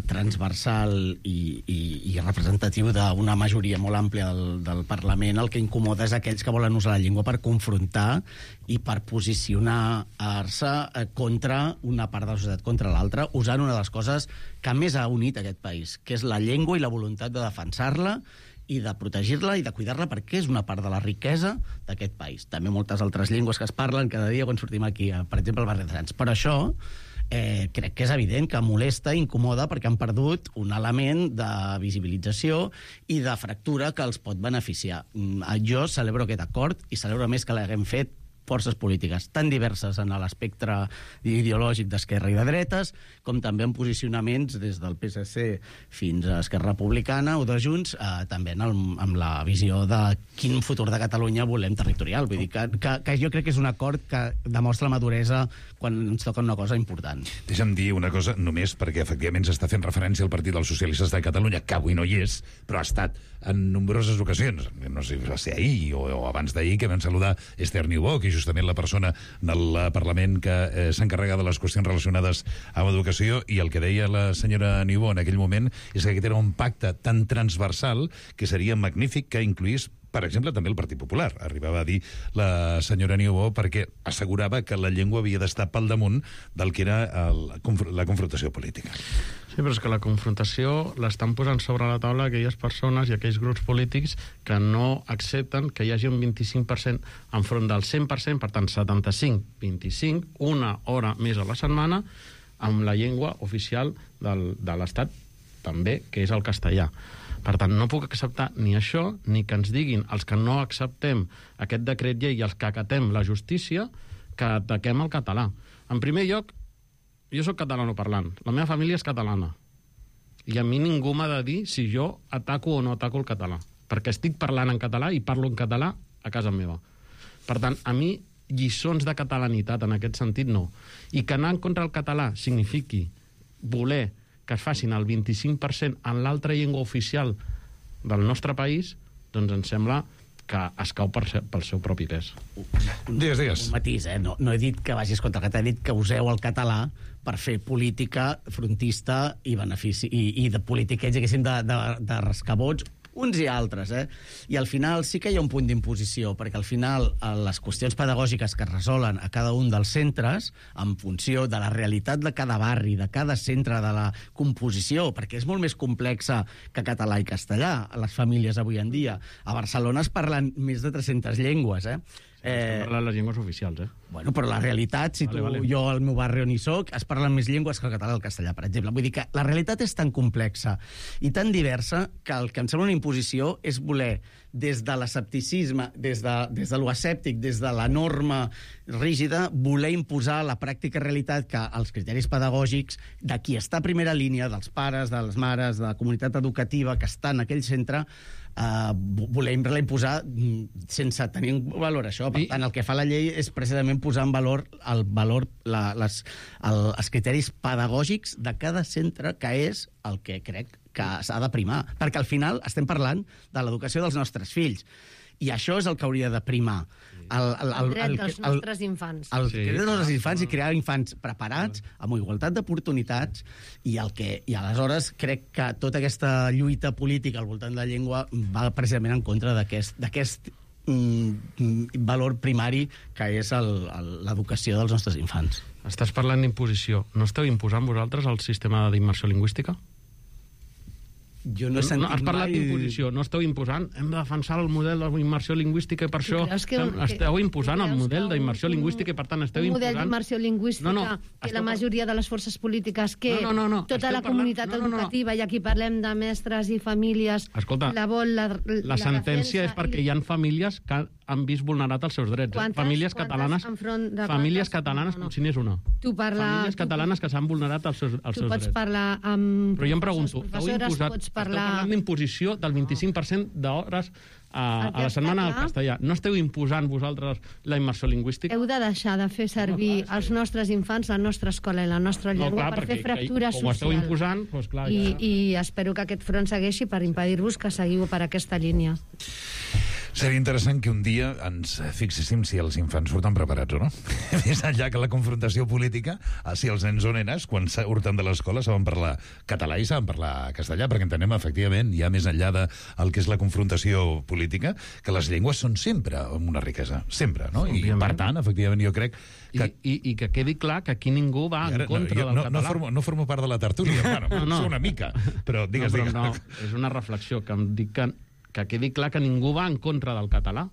transversal i, i, i representatiu d'una majoria molt àmplia del, del Parlament el que incomoda és aquells que volen usar la llengua per confrontar i per posicionar-se contra una part de la societat contra l'altra, usant una de les coses que més ha unit aquest país, que és la llengua i la voluntat de defensar-la i de protegir-la i de cuidar-la perquè és una part de la riquesa d'aquest país. També moltes altres llengües que es parlen cada dia quan sortim aquí, per exemple, al barri de Sants. Per això eh, crec que és evident que molesta i incomoda perquè han perdut un element de visibilització i de fractura que els pot beneficiar. Jo celebro aquest acord i celebro més que l'haguem fet forces polítiques tan diverses en l'espectre ideològic d'esquerra i de dretes, com també en posicionaments des del P S C fins a Esquerra Republicana o de Junts, eh, també en el, amb la visió de quin futur de Catalunya volem territorial. Vull dir que, que, que jo crec que és un acord que demostra la maduresa quan ens toca una cosa important. Deixa'm dir una cosa, només perquè efectivament s'està fent referència al Partit dels Socialistes de Catalunya, que avui no hi és, però ha estat en nombroses ocasions. No sé si va ser ahir o, o abans d'ahir, que vam saludar Esther Niubó, que justament la persona del Parlament que eh, s'encarrega de les qüestions relacionades amb educació, i el que deia la senyora Niubó en aquell moment és que aquest era un pacte tan transversal que seria magnífic que incluís, per exemple, també el Partit Popular. Arribava a dir la senyora Niubó perquè assegurava que la llengua havia d'estar pel damunt del que era el, la confrontació política. Sí, però és que la confrontació l'estan posant sobre la taula aquelles persones i aquells grups polítics que no accepten que hi hagi un vint-i-cinc per cent enfront del cent per cent, per tant, setanta-cinc, vint-i-cinc, una hora més a la setmana, amb la llengua oficial del, de l'Estat, també, que és el castellà. Per tant, no puc acceptar ni això, ni que ens diguin els que no acceptem aquest decret llei i els que acatem la justícia, que ataquem el català. En primer lloc, jo sóc catalanoparlant, la meva família és catalana, i a mi ningú m'ha de dir si jo ataco o no ataco el català, perquè estic parlant en català i parlo en català a casa meva. Per tant, a mi lliçons de catalanitat en aquest sentit no. I que anar en contra el català signifiqui voler que es facin el vint-i-cinc per cent en l'altra llengua oficial del nostre país, doncs em sembla que es cau per ser, pel seu propi pes. Digues, digues. Un matís, eh? No, no he dit que vagis contra el català, he dit que useu el català per fer política frontista i benefici, i, i de política, diguéssim, de, de, de rescabots, uns i altres, eh? I al final sí que hi ha un punt d'imposició, perquè al final les qüestions pedagògiques que es resolen a cada un dels centres, en funció de la realitat de cada barri, de cada centre, de la composició, perquè és molt més complexa que català i castellà, a les famílies avui en dia. A Barcelona es parlen més de tres-centes llengües, eh? Eh... parlen les llengües oficials, eh? Bueno, però la realitat, si vale, tu, vale. jo al meu barri on hi soc, es parlen més llengües que el català i el castellà, per exemple. Vull dir que la realitat és tan complexa i tan diversa que el que em sembla una imposició és voler, des de l'escepticisme, des de, des de l'escèptic, des de la norma rígida, voler imposar la pràctica realitat que els criteris pedagògics de qui està a primera línia, dels pares, de les mares, de la comunitat educativa que està en aquell centre, Uh, volem imposar sense tenir en valor això. Per tant, el que fa la llei és precisament posar en valor el valor, la, les, el, els criteris pedagògics de cada centre, que és el que crec que s'ha de primar. Perquè al final estem parlant de l'educació dels nostres fills. I això és el que hauria de primar. el, el, el dret el, dels el, nostres infants. El Sí. dret dels nostres infants i crear infants preparats, amb igualtat d'oportunitats, i, el que, i aleshores crec que tota aquesta lluita política al voltant de la llengua va precisament en contra d'aquest d'aquest mm, valor primari que és el- el- l'educació dels nostres infants. Estàs parlant d'imposició. No esteu imposant vosaltres el sistema d'immersió lingüística? Jo no he sentit no, has parlat mai- d'imposició, no esteu imposant. Hem de defensar el model d'immersió lingüística i per Tu això creus que- estem- que- esteu imposant tu el creus model que un- d'immersió lingüística i per tant esteu un model imposant... d'immersió lingüística No, no, que esteu la par- majoria de les forces polítiques, que No, no, no, no, tota esteu la parlant- comunitat no, no, no. educativa, i aquí parlem de mestres i famílies, Escolta, la vol, la, la, La sentència és perquè hi ha famílies que han vist vulnerat els seus drets. eh? Quantes- famílies quantes catalanes, enfront de famílies quantes? catalanes No, no. com si n'és una. Tu parla, Famílies tu, catalanes que s'han vulnerat els seus, els tu seus pots drets. parlar amb Però jo em professors, pregunto, heu professores, imposat, pots esteu parlar... parlant d'imposició del vint-i-cinc per cent d'hores a, El que a la està setmana del clar- castellà. No esteu imposant vosaltres la immersió lingüística? Heu de deixar de fer servir els nostres infants, la nostra escola i la nostra No, llengua clar, per fer perquè fractura com ho esteu social. imposant, doncs clar, I, ja... I espero que aquest front segueixi per impedir-vos que seguiu per aquesta línia. Seria interessant que un dia ens fixéssim si els infants surten preparats o no. Més enllà que la confrontació política, si els nens o nenes, quan surten de l'escola, saben parlar català i saben parlar castellà, perquè entenem, efectivament, ja més enllà del que és la confrontació política, que les llengües són sempre una riquesa, sempre, no? I, Òbviament. per tant, efectivament, jo crec que... I, i, I que quedi clar que aquí ningú va I ara, en contra no, jo del no, català. no, formo, no formo part de la tertúlia, bueno, No, no. sé una mica, però digues, no, però digues. no, és una reflexió que em dic que, que quedi clar que ningú va en contra del català,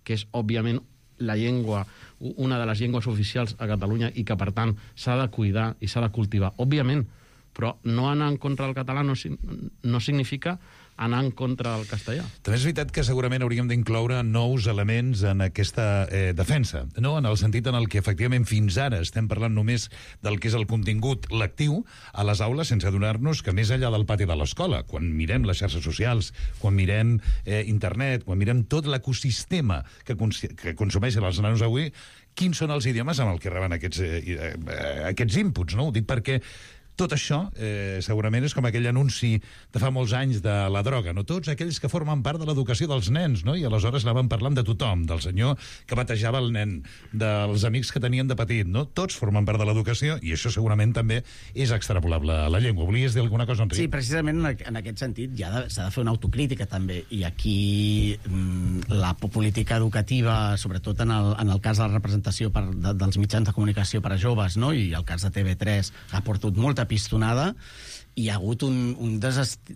que és, òbviament, la llengua, una de les llengües oficials a Catalunya i que, per tant, s'ha de cuidar i s'ha de cultivar. Òbviament, però no anar en contra del català no, si- no significa anar en contra del castellà. També és veritat que segurament hauríem d'incloure nous elements en aquesta eh, defensa, no? En el sentit en el que efectivament fins ara estem parlant només del que és el contingut lectiu a les aules, sense adonar-nos que més enllà del pati de l'escola, quan mirem les xarxes socials, quan mirem eh, internet, quan mirem tot l'ecosistema que, cons que consumeixen els nanos avui, quins són els idiomes amb el que reben aquests, eh, eh, aquests inputs, no? Ho dic perquè tot això, eh, segurament, és com aquell anunci de fa molts anys de la droga, no? Tots aquells que formen part de l'educació dels nens, no? I aleshores anaven parlant de tothom, del senyor que batejava el nen, dels amics que tenien de petit, no? Tots formen part de l'educació i això segurament també és extrapolable a la llengua. Volies dir alguna cosa, Enric? Sí, precisament en, en aquest sentit ja de- s'ha de fer una autocrítica també, i aquí mm, la po- política educativa, sobretot en el, en el cas de la representació per, de, dels mitjans de comunicació per a joves, no? I el cas de T V tres ha portat molta pistonada, i hi ha hagut un, un desest...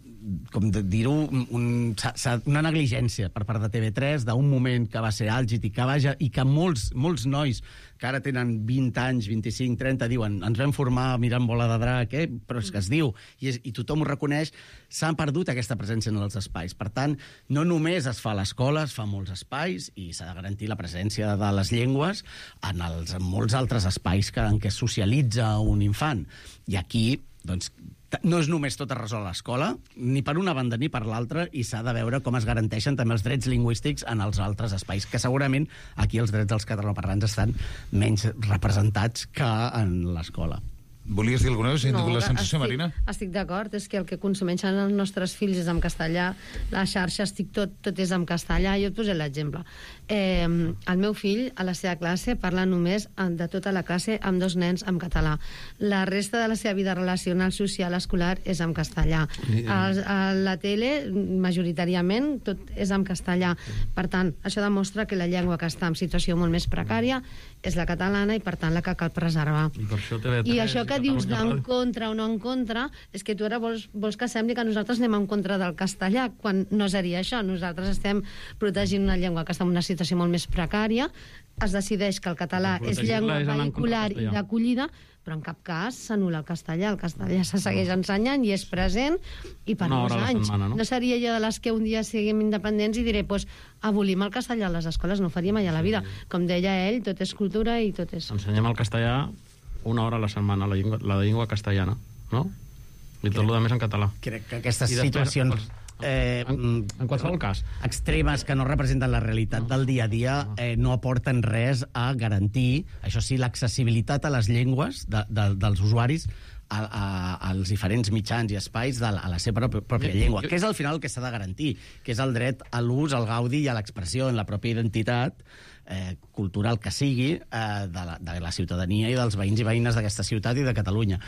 com de dir-ho, un, un, s'ha- s'ha- una negligència per part de T V tres d'un moment que va ser àlgid i que, vaja, i que molts, molts nois que ara tenen vint anys, vint-i-cinc, trenta, diuen ens vam formar mirant Bola de Drac, eh? Però és que es diu, i, és, i tothom ho reconeix, s'han perdut aquesta presència en els espais. Per tant, no només es fa a l'escola, es fa a molts espais, i s'ha de garantir la presència de les llengües en, els, en molts altres espais que, en què es socialitza un infant. I aquí, doncs, t- no és només tot es resol a l'escola, ni per una banda ni per l'altra, i s'ha de veure com es garanteixen també els drets lingüístics en els altres espais, que segurament aquí els drets dels catalanoparlants estan menys representats que en l'escola. Volies dir alguna cosa? No, la sensació, estic, Marina? Estic d'acord, és que el que consumeixen els nostres fills és en castellà, la xarxa, estic tot, tot és en castellà. Jo et posé l'exemple. Eh, el meu fill, a la seva classe, parla només de tota la classe amb dos nens en català. La resta de la seva vida relacional, social, escolar, és en castellà. A, a la tele, majoritàriament, tot és en castellà. Per tant, això demostra que la llengua que està en situació molt més precària és la catalana i, per tant, la que cal preservar. I per això T V tres I això que dius Catalunya d'en Ràdio. contra o no en contra, és que tu ara vols, vols que sembli que nosaltres anem en contra del castellà, quan no seria això. Nosaltres estem protegint una llengua que està en una situació molt més precària, es decideix que el català és Protegir-la llengua és anar en contra vehicular del i castellà. d'acollida, però en cap cas s'anul·la el castellà. El castellà se segueix ensenyant i és present, i per Una molts hora a la anys. setmana, no? No seria jo de les que un dia siguem independents i diré, pues, abolim el castellà a les escoles, no ho faria mai a la vida. Com deia ell, tot és cultura i tot és... Ensenyem el castellà una hora a la setmana, la llengua, la llengua castellana, no? I tot el més en català. Crec que aquestes I després, situacions eh, en, en qualsevol cas extremes que no representen la realitat del dia a dia eh, no aporten res a garantir, això sí, l'accessibilitat a les llengües de, de, dels usuaris a, a, als diferents mitjans i espais de la, a la seva pròpia, pròpia llengua, que és al final el que s'ha de garantir, que és el dret a l'ús, al gaudi i a l'expressió en la pròpia identitat, eh, cultural que sigui eh, de, la, de la ciutadania i dels veïns i veïnes d'aquesta ciutat i de Catalunya.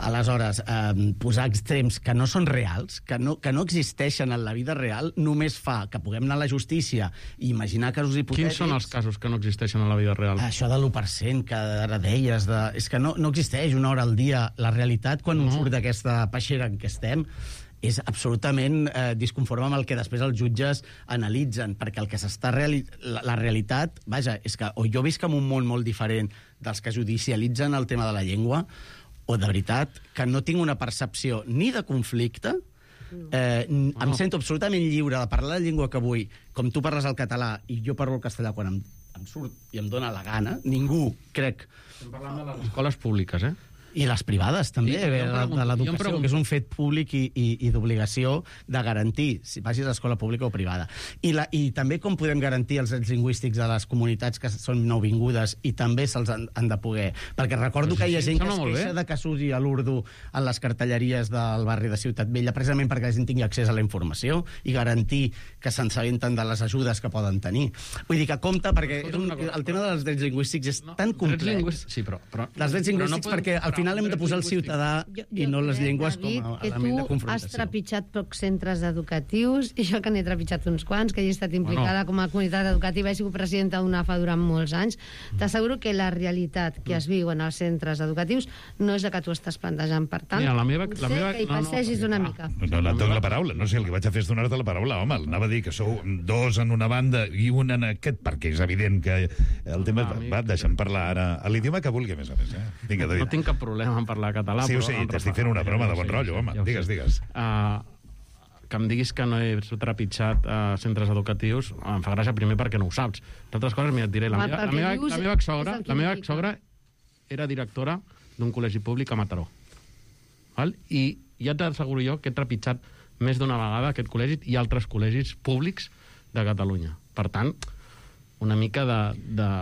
Aleshores, eh, posar extrems que no són reals, que no, que no existeixen en la vida real, només fa que puguem anar a la justícia i imaginar casos hipotètics... Quins són els casos que no existeixen en la vida real? Això de l'u per cent que ara deies, de... és que no, no existeix una hora al dia. La realitat, quan no. surt d'aquesta peixera en què estem, és absolutament eh, disconforme amb el que després els jutges analitzen, perquè el que s'està reali... la, la realitat, vaja, és que o jo visc en un món molt diferent dels que judicialitzen el tema de la llengua, o de veritat que no tinc una percepció ni de conflicte, eh, no. em sento absolutament lliure de parlar la llengua que vull, com tu parles el català i jo parlo el castellà quan em, em surt i em dóna la gana. Ningú, crec... Estem parlant de les escoles públiques, eh? I les privades, també, Sí, de, pregunto, de l'educació, pregunto. que és un fet públic i, i, i d'obligació de garantir, si vagis a escola pública o privada. I, la, I també com podem garantir els drets lingüístics de les comunitats que són nouvingudes i també se'ls han, han de poder... Perquè recordo Però que hi ha sí, gent que sembla es molt queixa bé. de que s'usi a l'urdu en les cartelleries del barri de Ciutat Vella, precisament perquè la gent tingui accés a la informació i garantir que s'ensabenten de les ajudes que poden tenir. Vull dir que compte, perquè és un, el tema dels drets lingüístics és tan complex. Sí, però, però, dels drets però no lingüístics, podem perquè al comparar final hem de posar el ciutadà i no les llengües com a que element de tu has confrontació. trepitjat pocs centres educatius, i jo que n'he trepitjat uns quants, que hi he estat implicada com a comunitat educativa, he sigut presidenta d'U N A F A durant molts anys, t'asseguro que la realitat que es viu en els centres educatius no és la que tu estàs plantejant. Per tant, Mira, la meva- potser la meva- que hi no, no, passegis una mica. No, no et dono la paraula, no sé, el que vaig a fer és donar-te la paraula, home, anava a dir que sou dos en una banda i un en aquest, perquè és evident que el tema... Ah, Va, deixa'm parlar ara a l'idioma que vulgui, a més a més, eh? Vinga, David. No tinc cap problema en parlar català. Sí, ho però sé, em t'estic refa- fent una broma Ja de ho bon sé, rotllo, ja home, ho sé. digues, digues. Uh, que em diguis que no he trepitjat uh, centres educatius em fa gràcia primer perquè no ho saps. D'altres coses, mira, et diré, la Home, meva, la perquè meva, dius la meva exsogra, és el que la meva indica. exsogra era directora d'un col·legi públic a Mataró. Val? I ja t'asseguro jo que he trepitjat més d'una vegada aquest col·legi i altres col·legis públics de Catalunya. Per tant, una mica de... de...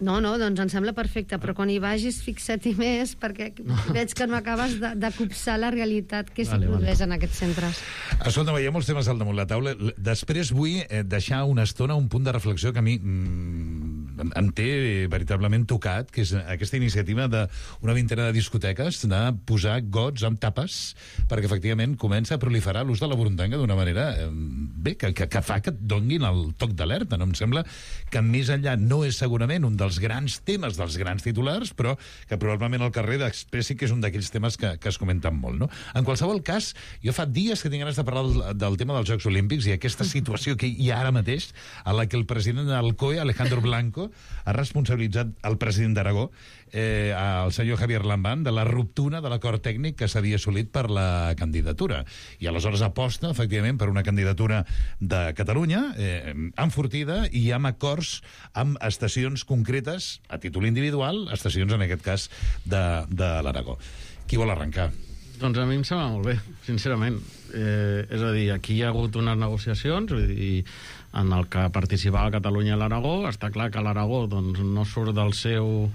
No, no, doncs em sembla perfecte, però quan hi vagis fixa't-hi més, perquè veig que no acabes de, de copsar la realitat que s'hi Vale, vale. produeix en aquests centres. Escolta, hi ha molts temes al damunt la taula. L- Després vull eh, deixar una estona un punt de reflexió que a mi mm, em- em té veritablement tocat, que és aquesta iniciativa d'una vintena de discoteques de posar gots amb tapes perquè efectivament comença a proliferar l'ús de la burundanga d'una manera eh, bé, que, que, que fa que et donguin el toc d'alerta. No? Em sembla que més enllà no és segurament un dels grans temes dels grans titulars, però que probablement al carrer expressi que és un d'aquells temes que, que es comenten molt. No? En qualsevol cas, jo fa dies que tinc ganes de parlar del, del tema dels Jocs Olímpics i aquesta situació que hi ha ara mateix a la que el president del C O E, Alejandro Blanco, ha responsabilitzat el president d'Aragó, eh, el senyor Javier Lambán, de la ruptura de l'acord tècnic que s'havia assolit per la candidatura. I aleshores aposta, efectivament, per una candidatura de Catalunya eh, enfortida i amb acords amb estacions concretes, a títol individual, estacions, en aquest cas, de, de l'Aragó. Qui vol arrencar? Doncs a mi em sembla molt bé, sincerament. Eh, és a dir, aquí hi ha hagut unes negociacions, vull dir, en el que participava Catalunya a l'Aragó. Està clar que l'Aragó doncs, no surt del seu,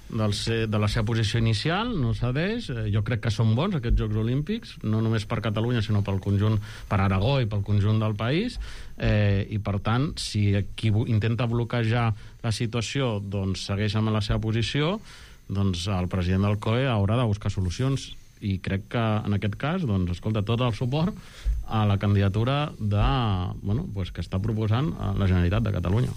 del se, de la seva posició inicial, no cedeix. Eh, jo crec que són bons aquests Jocs Olímpics, no només per Catalunya, sinó pel conjunt, per Aragó i pel conjunt del país. Eh, I, per tant, si qui intenta bloquejar la situació doncs, segueix amb la seva posició, doncs el president del C O E haurà de buscar solucions. I crec que en aquest cas, doncs, escolta, tot el suport a la candidatura de, bueno, pues, que està proposant la Generalitat de Catalunya.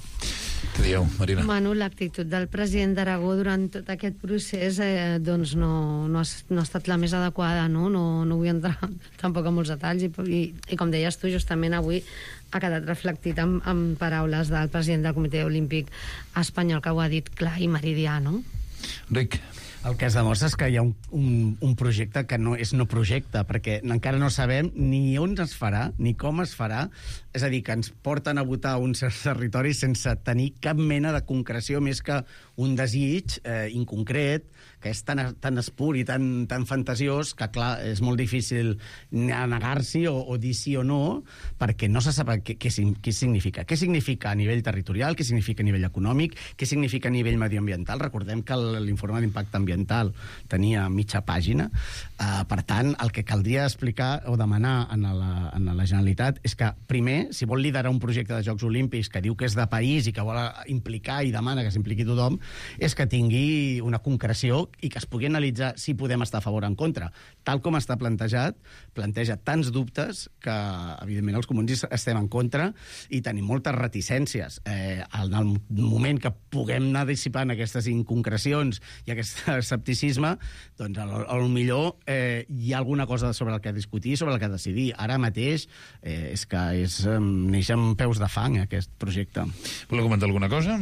Què dieu, Marina? Bueno, l'actitud del president d'Aragó durant tot aquest procés eh, doncs no, no, ha, no ha estat la més adequada, no? No, no vull entrar tampoc en molts detalls i, i, i com deies tu, justament avui ha quedat reflectit amb, amb paraules del president del Comitè Olímpic Espanyol, que ho ha dit clar i meridià, no? Ric. El que es demostra és que hi ha un, un, un projecte que no és no projecte, perquè encara no sabem ni on es farà, ni com es farà. És a dir, que ens porten a votar uns territoris sense tenir cap mena de concreció més que un desig eh, inconcret, que és tan, tan espur i tan, tan fantasiós que, clar, és molt difícil negar-s'hi o, o dir sí o no, perquè no se sap què, què, què significa. Què significa a nivell territorial, què significa a nivell econòmic, què significa a nivell medioambiental. Recordem que l'informe d'impacte ambiental ambiental tenia mitja pàgina. Uh, per tant, el que caldria explicar o demanar a la, a la Generalitat és que, primer, si vol liderar un projecte de Jocs Olímpics que diu que és de país i que vol implicar i demana que s'impliqui tothom, és que tingui una concreció i que es pugui analitzar si podem estar a favor o en contra. Tal com està plantejat, planteja tants dubtes que, evidentment, els comuns estem en contra i tenim moltes reticències. Eh, en el moment que puguem anar dissipant aquestes inconcrecions i aquest escepticisme, doncs, al millor eh, hi ha alguna cosa sobre el que discutir, sobre el que decidir. Ara mateix eh, és que és, eh, neix amb peus de fang, aquest projecte. Voleu comentar alguna cosa?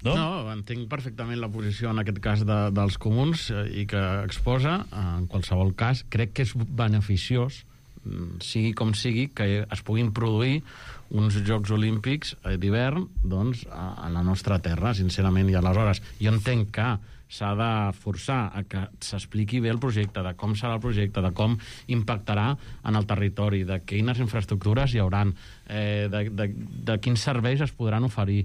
No? No, entenc perfectament la posició en aquest cas de, dels comuns eh, i que exposa, en qualsevol cas, crec que és beneficiós, sigui com sigui, que es puguin produir uns Jocs Olímpics d'hivern doncs, a, a la nostra terra, sincerament, i aleshores jo entenc que s'ha de forçar a que s'expliqui bé el projecte, de com serà el projecte, de com impactarà en el territori, de quines infraestructures hi hauran, eh, de, de, de quins serveis es podran oferir.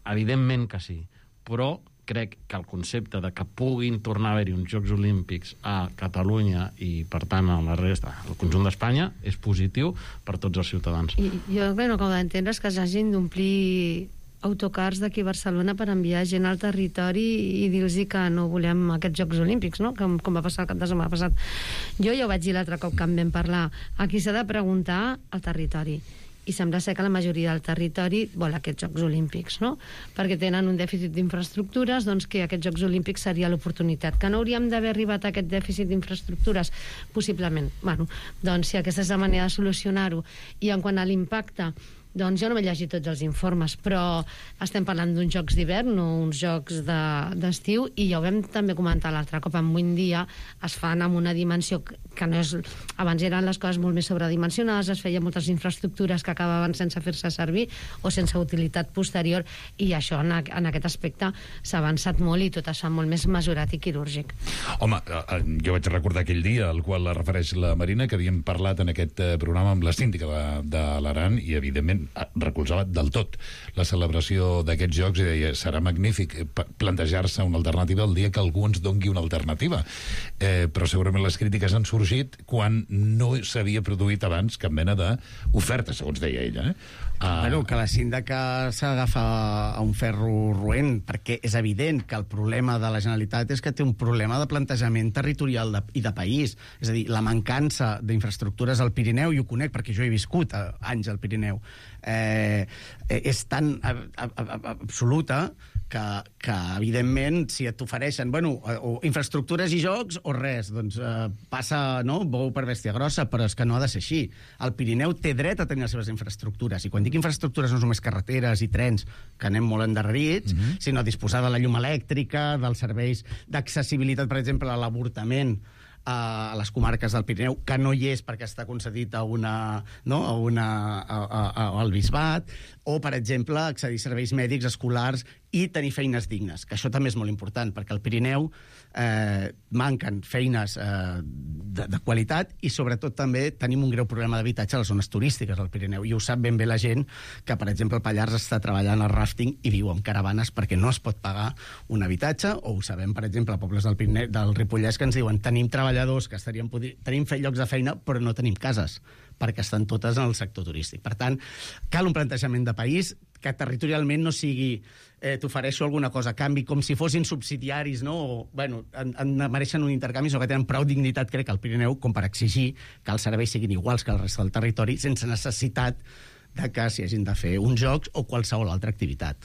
Evidentment que sí, però crec que el concepte de que puguin tornar a haver-hi uns Jocs Olímpics a Catalunya i, per tant, a la resta, al conjunt d'Espanya, és positiu per tots els ciutadans. I jo el que no acabo d'entendre és que s'hagin d'omplir autocars d'aquí a Barcelona per enviar gent al territori i dir-los que no volem aquests Jocs Olímpics, no? Com, com va passar el cap de setmana passat. Jo ja ho vaig dir l'altre cop que en vam parlar. Aquí s'ha de preguntar al territori. I sembla ser que la majoria del territori vol aquests Jocs Olímpics, no? Perquè tenen un dèficit d'infraestructures, doncs que aquests Jocs Olímpics seria l'oportunitat. Que no hauríem d'haver arribat a aquest dèficit d'infraestructures? Possiblement. Bueno, doncs si aquesta és la manera de solucionar-ho. I en quant a l'impacte, doncs jo no m'he llegit tots els informes, però estem parlant d'uns jocs d'hivern, no uns jocs d'estiu, i ja ho vam també comentar l'altre cop, en un dia es fan amb una dimensió que no és... Abans eren les coses molt més sobredimensionades, es feien moltes infraestructures que acabaven sense fer-se servir o sense utilitat posterior, i això en, en aquest aspecte s'ha avançat molt i tot es fa molt més mesurat i quirúrgic. Home, jo vaig recordar aquell dia al qual refereix la Marina, que havíem parlat en aquest programa amb la síndica de, de l'Aran, i evidentment recolzava del tot la celebració d'aquests jocs i deia, serà magnífic plantejar-se una alternativa el dia que algú ens dongui una alternativa. Eh, però segurament les crítiques han sorgit quan no s'havia produït abans cap mena d'oferta, segons deia ella. Eh? Ah. Bueno, que la síndica s'agafa a un ferro roent, perquè és evident que el problema de la Generalitat és que té un problema de plantejament territorial de, i de país. És a dir, la mancança d'infraestructures al Pirineu, i ho conec perquè jo he viscut a, anys al Pirineu, eh, és tan a, a, a, absoluta que, que evidentment, si t'ofereixen bueno, o infraestructures i jocs o res, doncs eh, passa, no?, bou per bèstia grossa, però és que no ha de ser així. El Pirineu té dret a tenir les seves infraestructures, i quan dic infraestructures no només carreteres i trens, que anem molt endarrerits, mm-hmm. sinó disposar de la llum elèctrica, dels serveis d'accessibilitat, per exemple, a l'avortament, a les comarques del Pirineu, que no hi és perquè està concedit a una, no? a una, a, a, a, al bisbat, o, per exemple, accedir a serveis mèdics, escolars i tenir feines dignes, que això també és molt important, perquè al Pirineu eh, manquen feines eh, de, de qualitat i, sobretot, també tenim un greu problema d'habitatge a les zones turístiques al Pirineu, i ho sap ben bé la gent que, per exemple, el Pallars està treballant al ràfting i viu en caravanes perquè no es pot pagar un habitatge, o ho sabem, per exemple, a pobles del, Pirineu, del Ripollès que ens diuen tenim treballadors que estaríem tenim fet llocs de feina però no tenim cases perquè estan totes en el sector turístic. Per tant, cal un plantejament de país que territorialment no sigui eh, t'ofereixo alguna cosa a canvi, com si fossin subsidiaris, no? O, bueno, en, en mereixen un intercanvi, o que tenen prou dignitat, crec, al Pirineu, com per exigir que els serveis siguin iguals que el resta del territori, sense necessitat de que s'hi hagin de fer uns jocs o qualsevol altra activitat.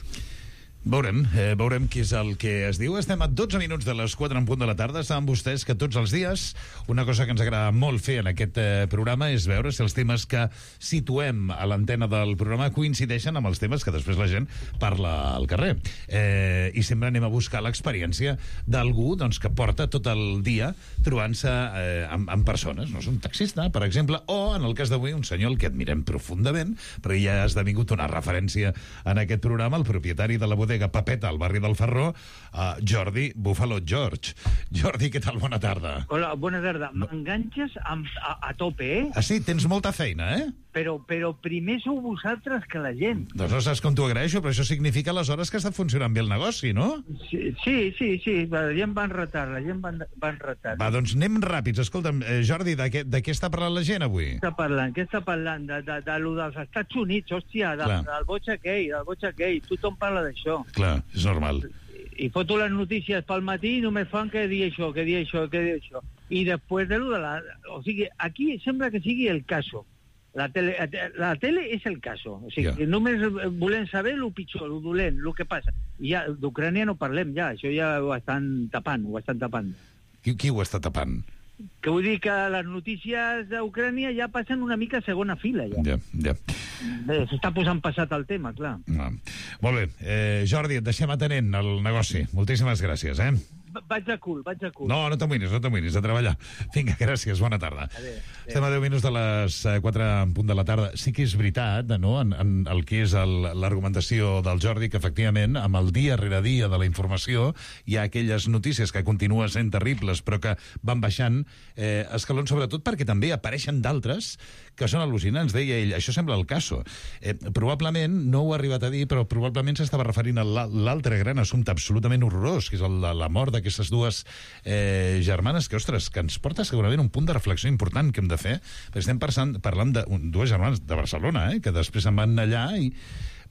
Veurem, eh, veurem què és el que es diu. Estem a dotze minuts de les quatre en punt de la tarda. Saben vostès que tots els dies una cosa que ens agrada molt fer en aquest eh, programa és veure si els temes que situem a l'antena del programa coincideixen amb els temes que després la gent parla al carrer. Eh, I sempre anem a buscar l'experiència d'algú doncs, que porta tot el dia trobant-se eh, amb, amb persones. No és un taxista, per exemple, o, en el cas d'avui, un senyor el que admirem profundament, perquè ja ha esdevingut una referència en aquest programa, el propietari de la bodega Papeta, al barri del Ferró, uh, Jordi Buffalo George. Jordi, què tal? Bona tarda. Hola, bona tarda. M'enganxes a, a tope, eh? Ah, sí? Tens molta feina, eh? però, però primer sou vosaltres que la gent. Doncs no saps com t'ho agraeixo, però això significa aleshores que està funcionant bé el negoci, no? Sí, sí, sí, sí, la gent va en retard, la gent va en, va en retard. Va, doncs anem ràpids. Escolta'm, eh, Jordi, de què, de què està parlant la gent avui? Què està parlant? Què està parlant? De, de, de, de dels Estats Units, hòstia, de, del boig aquell, del boig aquell. Tothom parla d'això. Clar, és normal. I foto les notícies pel matí i només fan que dir això, que dir això, que dir això. I després de lo de la... O sigui, aquí sembla que sigui el caso. La tele, la tele és el caso. O sigui, yeah. només volem saber el pitjor, el dolent, el que passa. I ja, d'Ucrània no parlem ja, això ja ho estan tapant, ho estan tapant. Qui, qui ho està tapant? Que vull dir que les notícies d'Ucrània ja passen una mica a segona fila, ja. Ja, ja. S'està posant passat el tema, clar. No. Molt bé. Eh, Jordi, et deixem atenent al negoci. Moltíssimes gràcies, eh? Vaig a cul, vaig a cul. No, no t'amoïnis, no t'amoïnis, a treballar. Vinga, gràcies, bona tarda. Adéu, adéu. Estem a deu minuts de les quatre en punt de la tarda. Sí que és veritat, no?, en, en el que és l'argumentació del Jordi, que efectivament, amb el dia rere dia de la informació, hi ha aquelles notícies que continuen sent terribles, però que van baixant eh, escalons, sobretot perquè també apareixen d'altres que són al·lucinants. Deia ell, això sembla el caso. Eh, probablement, no ho ha arribat a dir, però probablement s'estava referint a l'altre gran assumpte absolutament horrorós, que és el de la mort d'aquestes dues eh, germanes, que, ostres, que ens porta segurament un punt de reflexió important que hem de fer, perquè estem parlant, parlant de un, dues germanes de Barcelona, eh, que després se'n van allà i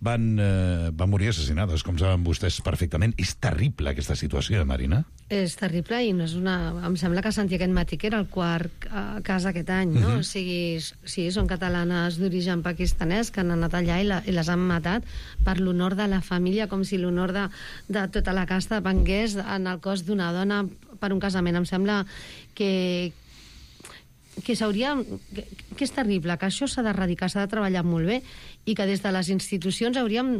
van, eh, van morir assassinades, com saben vostès perfectament. És terrible aquesta situació, Marina. És terrible i no és una... Em sembla que sentia aquest matí que era el quart eh, cas aquest any, no? Uh-huh. O sigui, sí, són catalanes d'origen pakistanès que han anat allà i, la, i les han matat per l'honor de la família, com si l'honor de, de tota la casta vengués en el cos d'una dona per un casament. Em sembla que que s'hauria... Que, que és terrible, que això s'ha d'erradicar, s'ha de treballar molt bé i que des de les institucions hauríem...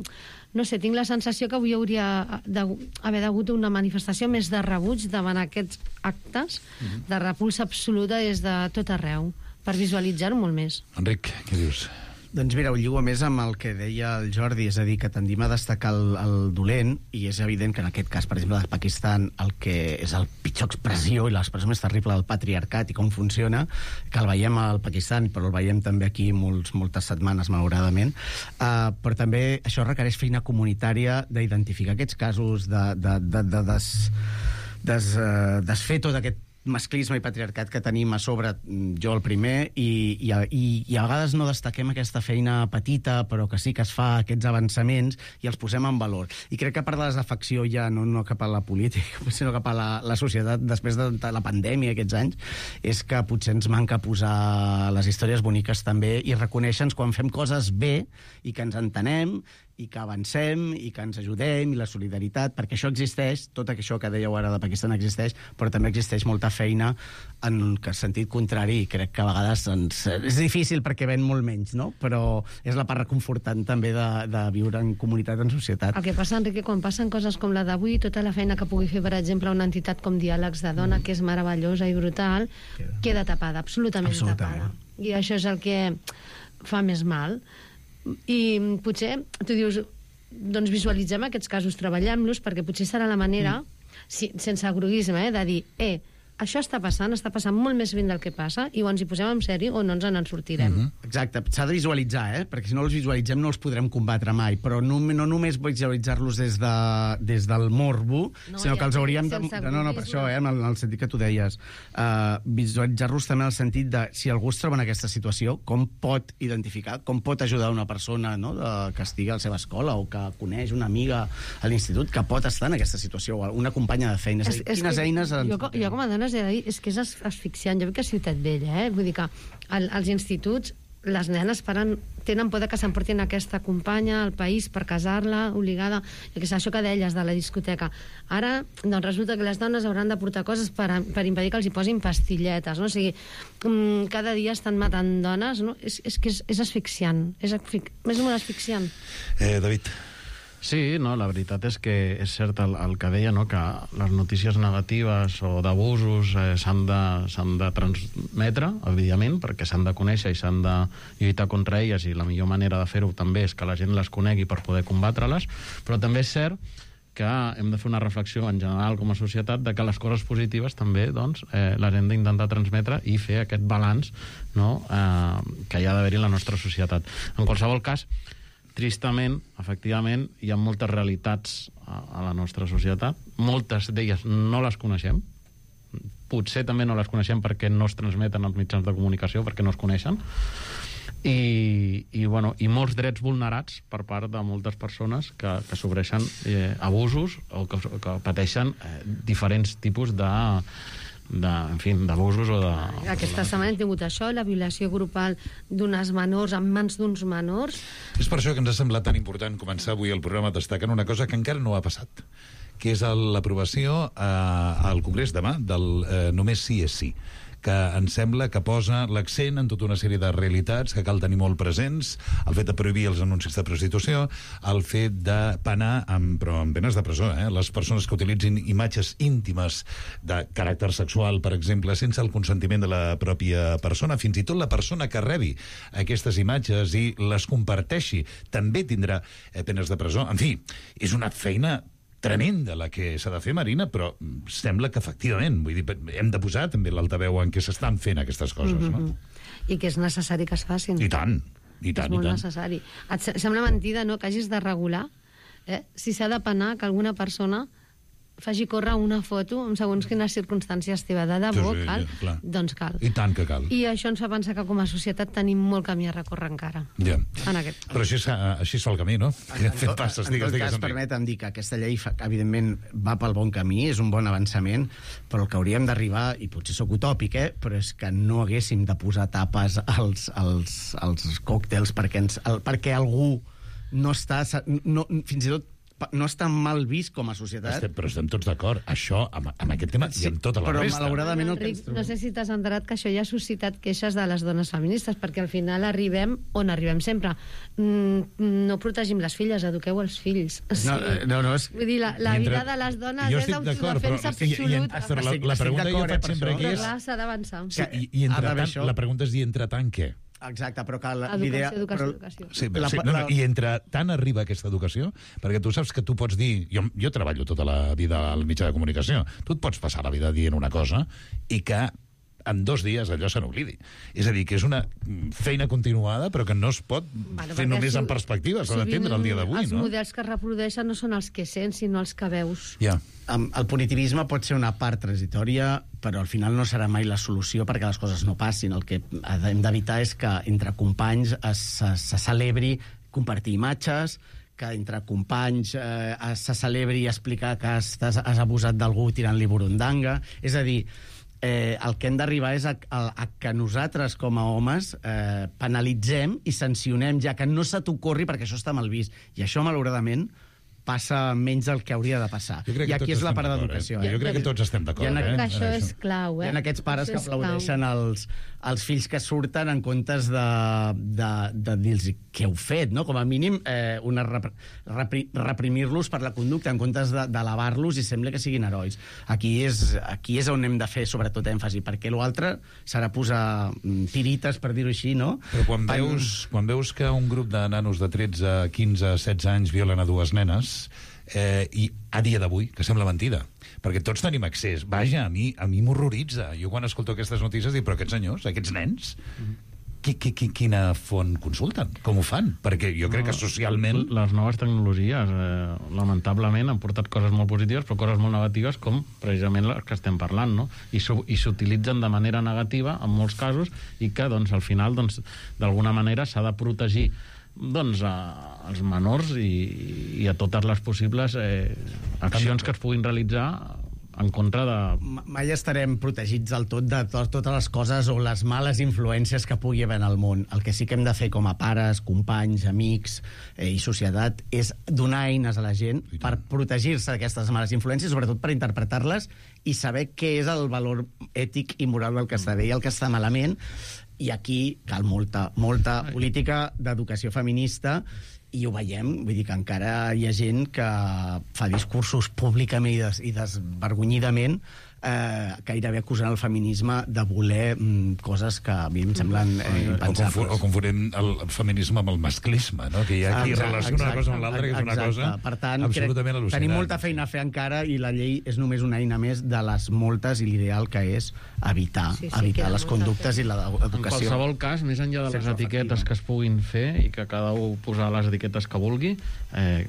No sé, tinc la sensació que avui hauria d'haver hagut una manifestació més de rebuig davant aquests actes, mm-hmm. de repulsa absoluta des de tot arreu, per visualitzar-ho molt més. Enric, què dius? Doncs mira, ho lligo més amb el que deia el Jordi, és a dir, que tendim a destacar el, el dolent, i és evident que en aquest cas, per exemple, del Pakistan, el que és el pitjor expressió i l'expressió més terrible del patriarcat i com funciona, que el veiem al Pakistan, però el veiem també aquí molts, moltes setmanes, malauradament, uh, però també això requereix feina comunitària d'identificar aquests casos, de, de, de, de des, des, uh, desfer tot aquest masclisme i patriarcat que tenim a sobre, jo el primer, i, i, i, i a vegades no destaquem aquesta feina petita, però que sí que es fa, aquests avançaments, i els posem en valor. I crec que part de la desafecció ja, no, no cap a la política, sinó cap a la, la societat, després de, de la pandèmia aquests anys, és que potser ens manca posar les històries boniques també i reconèixer-nos quan fem coses bé i que ens entenem, i que avancem, i que ens ajudem, i la solidaritat, perquè això existeix, tot això que dèieu ara de Pakistan existeix, però també existeix molta feina en el sentit contrari, i crec que a vegades ens... és difícil perquè ven molt menys, no? Però és la part reconfortant també de, de viure en comunitat, en societat. El que passa, Enrique, quan passen coses com la d'avui, tota la feina que pugui fer, per exemple, una entitat com Diàlegs de Dona, mm. que és meravellosa i brutal, queda, queda tapada, absolutament, absolutament tapada. I això és el que fa més mal. I potser tu dius, doncs visualitzem aquests casos, treballem-los, perquè potser serà la manera, mm. si, sense agroisme, eh, de dir, eh, això està passant, està passant molt més ben del que passa, i o ens hi posem en sèrio o no ens en sortirem. Mm-hmm. Exacte, s'ha de visualitzar, eh? Perquè si no els visualitzem no els podrem combatre mai, però no, no només visualitzar-los des, de, des del morbo, no, sinó que els hauríem de... No, no, per això, eh? En el, en el sentit que tu deies. Uh, visualitzar-los també en el sentit de, si algú es troba en aquesta situació, com pot identificar, com pot ajudar una persona, no?, de, que estigui a la seva escola o que coneix una amiga a l'institut que pot estar en aquesta situació, o una companya de feina. És, és, dir, quines eines... Jo, jo com a dona dir, és que és asfixiant. Jo veig que a Ciutat Vella, eh? Vull dir que al, als instituts les nenes paren, tenen por que s'emportin aquesta companya al país per casar-la, obligada, i que és això que deies de la discoteca. Ara, doncs resulta que les dones hauran de portar coses per, per impedir que els hi posin pastilletes, no? O sigui, cada dia estan matant dones, no? És, és que és, és asfixiant, és, asfic, és molt asfixiant. Eh, David. Sí, no, la veritat és que és cert el, el que deia, no?, que les notícies negatives o d'abusos eh, s'han de, s'han de transmetre, evidentment, perquè s'han de conèixer i s'han de lluitar contra elles, i la millor manera de fer-ho també és que la gent les conegui per poder combatre-les, però també és cert que hem de fer una reflexió en general com a societat de que les coses positives també doncs, eh, les hem d'intentar transmetre i fer aquest balanç, no? eh, que hi ha d'haver-hi en la nostra societat. En qualsevol cas, tristament, efectivament, hi ha moltes realitats a, a la nostra societat, moltes d'elles no les coneixem, potser també no les coneixem perquè no es transmeten als mitjans de comunicació, perquè no es coneixen, i, i, bueno, i molts drets vulnerats per part de moltes persones que, que sofreixen eh, abusos o que, que pateixen eh, diferents tipus de, de, en fi, d'abusos o de... Aquesta setmana hem tingut això, la violació grupal d'unes menors en mans d'uns menors. És per això que ens ha semblat tan important començar avui el programa destacant una cosa que encara no ha passat, que és l'aprovació eh, al Congrés demà del eh, Només sí és sí, que em sembla que posa l'accent en tota una sèrie de realitats que cal tenir molt presents, el fet de prohibir els anuncis de prostitució, el fet de penar, amb, però amb penes de presó, eh? les persones que utilitzin imatges íntimes de caràcter sexual, per exemple, sense el consentiment de la pròpia persona, fins i tot la persona que rebi aquestes imatges i les comparteixi, també tindrà eh, penes de presó. En fi, és una feina tremenda la que s'ha de fer, Marina, però sembla que efectivament, vull dir, hem de posar també l'altaveu en què s'estan fent aquestes coses, mm-hmm. no? I que és necessari que es facin. I tant, i tant, és molt i tant. necessari. Et sembla mentida, no?, que hagis de regular eh? si s'ha de penar que alguna persona faci córrer una foto en segons quines circumstàncies teva. De debò, sí, sí, cal? Ja, doncs cal. I tant que cal. I això ens fa pensar que com a societat tenim molt camí a recórrer encara. Ja. En aquest. Però així, així es fa el camí, no? En, Fent passes, en digues, tot digues, cas, permetem dir que aquesta llei, evidentment, va pel bon camí, és un bon avançament, però el que hauríem d'arribar, i potser sóc utòpic, eh, però és que no haguéssim de posar tapes als, als, als còctels perquè, ens, el, perquè algú no està... No, fins i tot no està mal vist com a societat. Estem, però estem tots d'acord. Això, amb, amb aquest tema, sí, i amb tota la però resta. Però malauradament... Enric, no sé si t'has enterat que això ja ha suscitat queixes de les dones feministes, perquè al final arribem on arribem sempre. Mm, no protegim les filles, eduqueu els fills. Sí. No, no, no, és... Vull dir, la, la vida de les dones jo és l'autodefensa absoluta. Però la, la pregunta que jo faig sempre aquí és... Però s'ha d'avançar. Sí, i, i entre tant, la pregunta és dir entre tant què? Exacte, però que l'idea... Educació, educació, però... educació. Sí, però, sí, no, no, I entre tant arriba aquesta educació, perquè tu saps que tu pots dir... Jo, jo treballo tota la vida al mitjà de comunicació. Tu et pots passar la vida dient una cosa i que en dos dies allò se n'oblidi. És a dir, que és una feina continuada, però que no es pot bueno, fer només en perspectiva, s'ha d'atendre el dia d'avui, els no? Els models que es reprodueixen no són els que sents, sinó els que veus. Ja. El punitivisme pot ser una part transitòria, però al final no serà mai la solució perquè les coses no passin. El que hem d'evitar és que entre companys es, se, se celebri compartir imatges, que entre companys eh, se celebri explicar que has, has abusat d'algú tirant-li burundanga. És a dir, eh, el que hem d'arribar és a, a, a que nosaltres, com a homes, eh, penalitzem i sancionem, ja que no se t'ocorri perquè això està mal vist. I això, malauradament, passa menys del que hauria de passar. I aquí és la part d'educació. Eh? Jo crec que tots estem d'acord. Eh? Eh? Això és clau, eh? Hi ha aquests pares que aplaudeixen els, els fills que surten en comptes de, de, de dir-los què heu fet, no? Com a mínim eh, una repri, repri, reprimir-los per la conducta en comptes d'alabar-los i sembla que siguin herois. Aquí és, aquí és on hem de fer sobretot èmfasi, perquè l'altre serà posar tirites, per dir-ho així, no? Però quan veus, quan veus que un grup de nanos de tretze, quinze, setze anys violen a dues nenes, Eh, i a dia d'avui, que sembla mentida, perquè tots tenim accés. Vaja, a mi a mi m'horroritza. Jo quan escolto aquestes notícies dic, però aquests senyors, aquests nens, qui, qui, qui, quina font consulten? Com ho fan? Perquè jo crec que socialment... Les noves tecnologies, eh, lamentablement, han portat coses molt positives, però coses molt negatives, com precisament les que estem parlant, no? I s'utilitzen de manera negativa, en molts casos, i que, doncs, al final, doncs, d'alguna manera s'ha de protegir doncs a, als menors i, i a totes les possibles eh, accions que es puguin realitzar en contra de... Mai estarem protegits del tot de to totes les coses o les males influències que pugui haver en el món. El que sí que hem de fer com a pares, companys, amics eh, i societat és donar eines a la gent per protegir-se d'aquestes males influències, sobretot per interpretar-les i saber què és el valor ètic i moral del que està bé i el que està malament. I aquí cal molta, molta política d'educació feminista i ho veiem, vull dir que encara hi ha gent que fa discursos públicament i, des, i desvergonyidament eh, gairebé acusant el feminisme de voler mm, coses que a mi em semblen eh, o, impensables. confu o confonent el feminisme amb el masclisme, no? Que hi ha qui Exacte, relaciona una cosa amb l'altra, que és una exacte. cosa Per tant, absolutament crec, al·lucinant. tenim molta feina a fer encara i la llei és només una eina més de les moltes i l'ideal que és evitar, Sí, sí, evitar queda les molta conductes i En l'educació. qualsevol cas, més enllà de les Sexoafectiva. etiquetes que es puguin fer i que cada un posarà les etiquetes que vulgui, eh,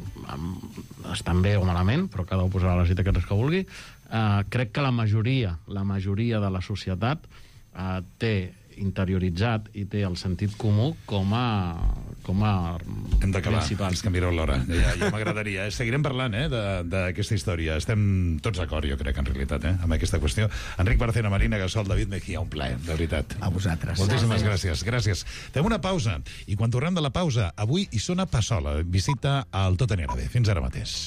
estan bé o malament, però cada un posarà les etiquetes que vulgui, eh, crec que la majoria, la majoria de la societat eh, té interioritzat i té el sentit comú com a, com a Hem d'acabar, principal. és que mireu l'hora. Ja, ja m'agradaria. Eh? Seguirem parlant eh, d'aquesta història. Estem tots d'acord, jo crec, en realitat, eh, amb aquesta qüestió. Enric Barcena, Marina Gasol, David Mejía, un plaer, de veritat. A vosaltres. Moltíssimes gràcies. Gràcies. Fem una pausa, i quan tornem de la pausa, avui hi sona Passola, visita al Tot anirà bé. Fins ara mateix.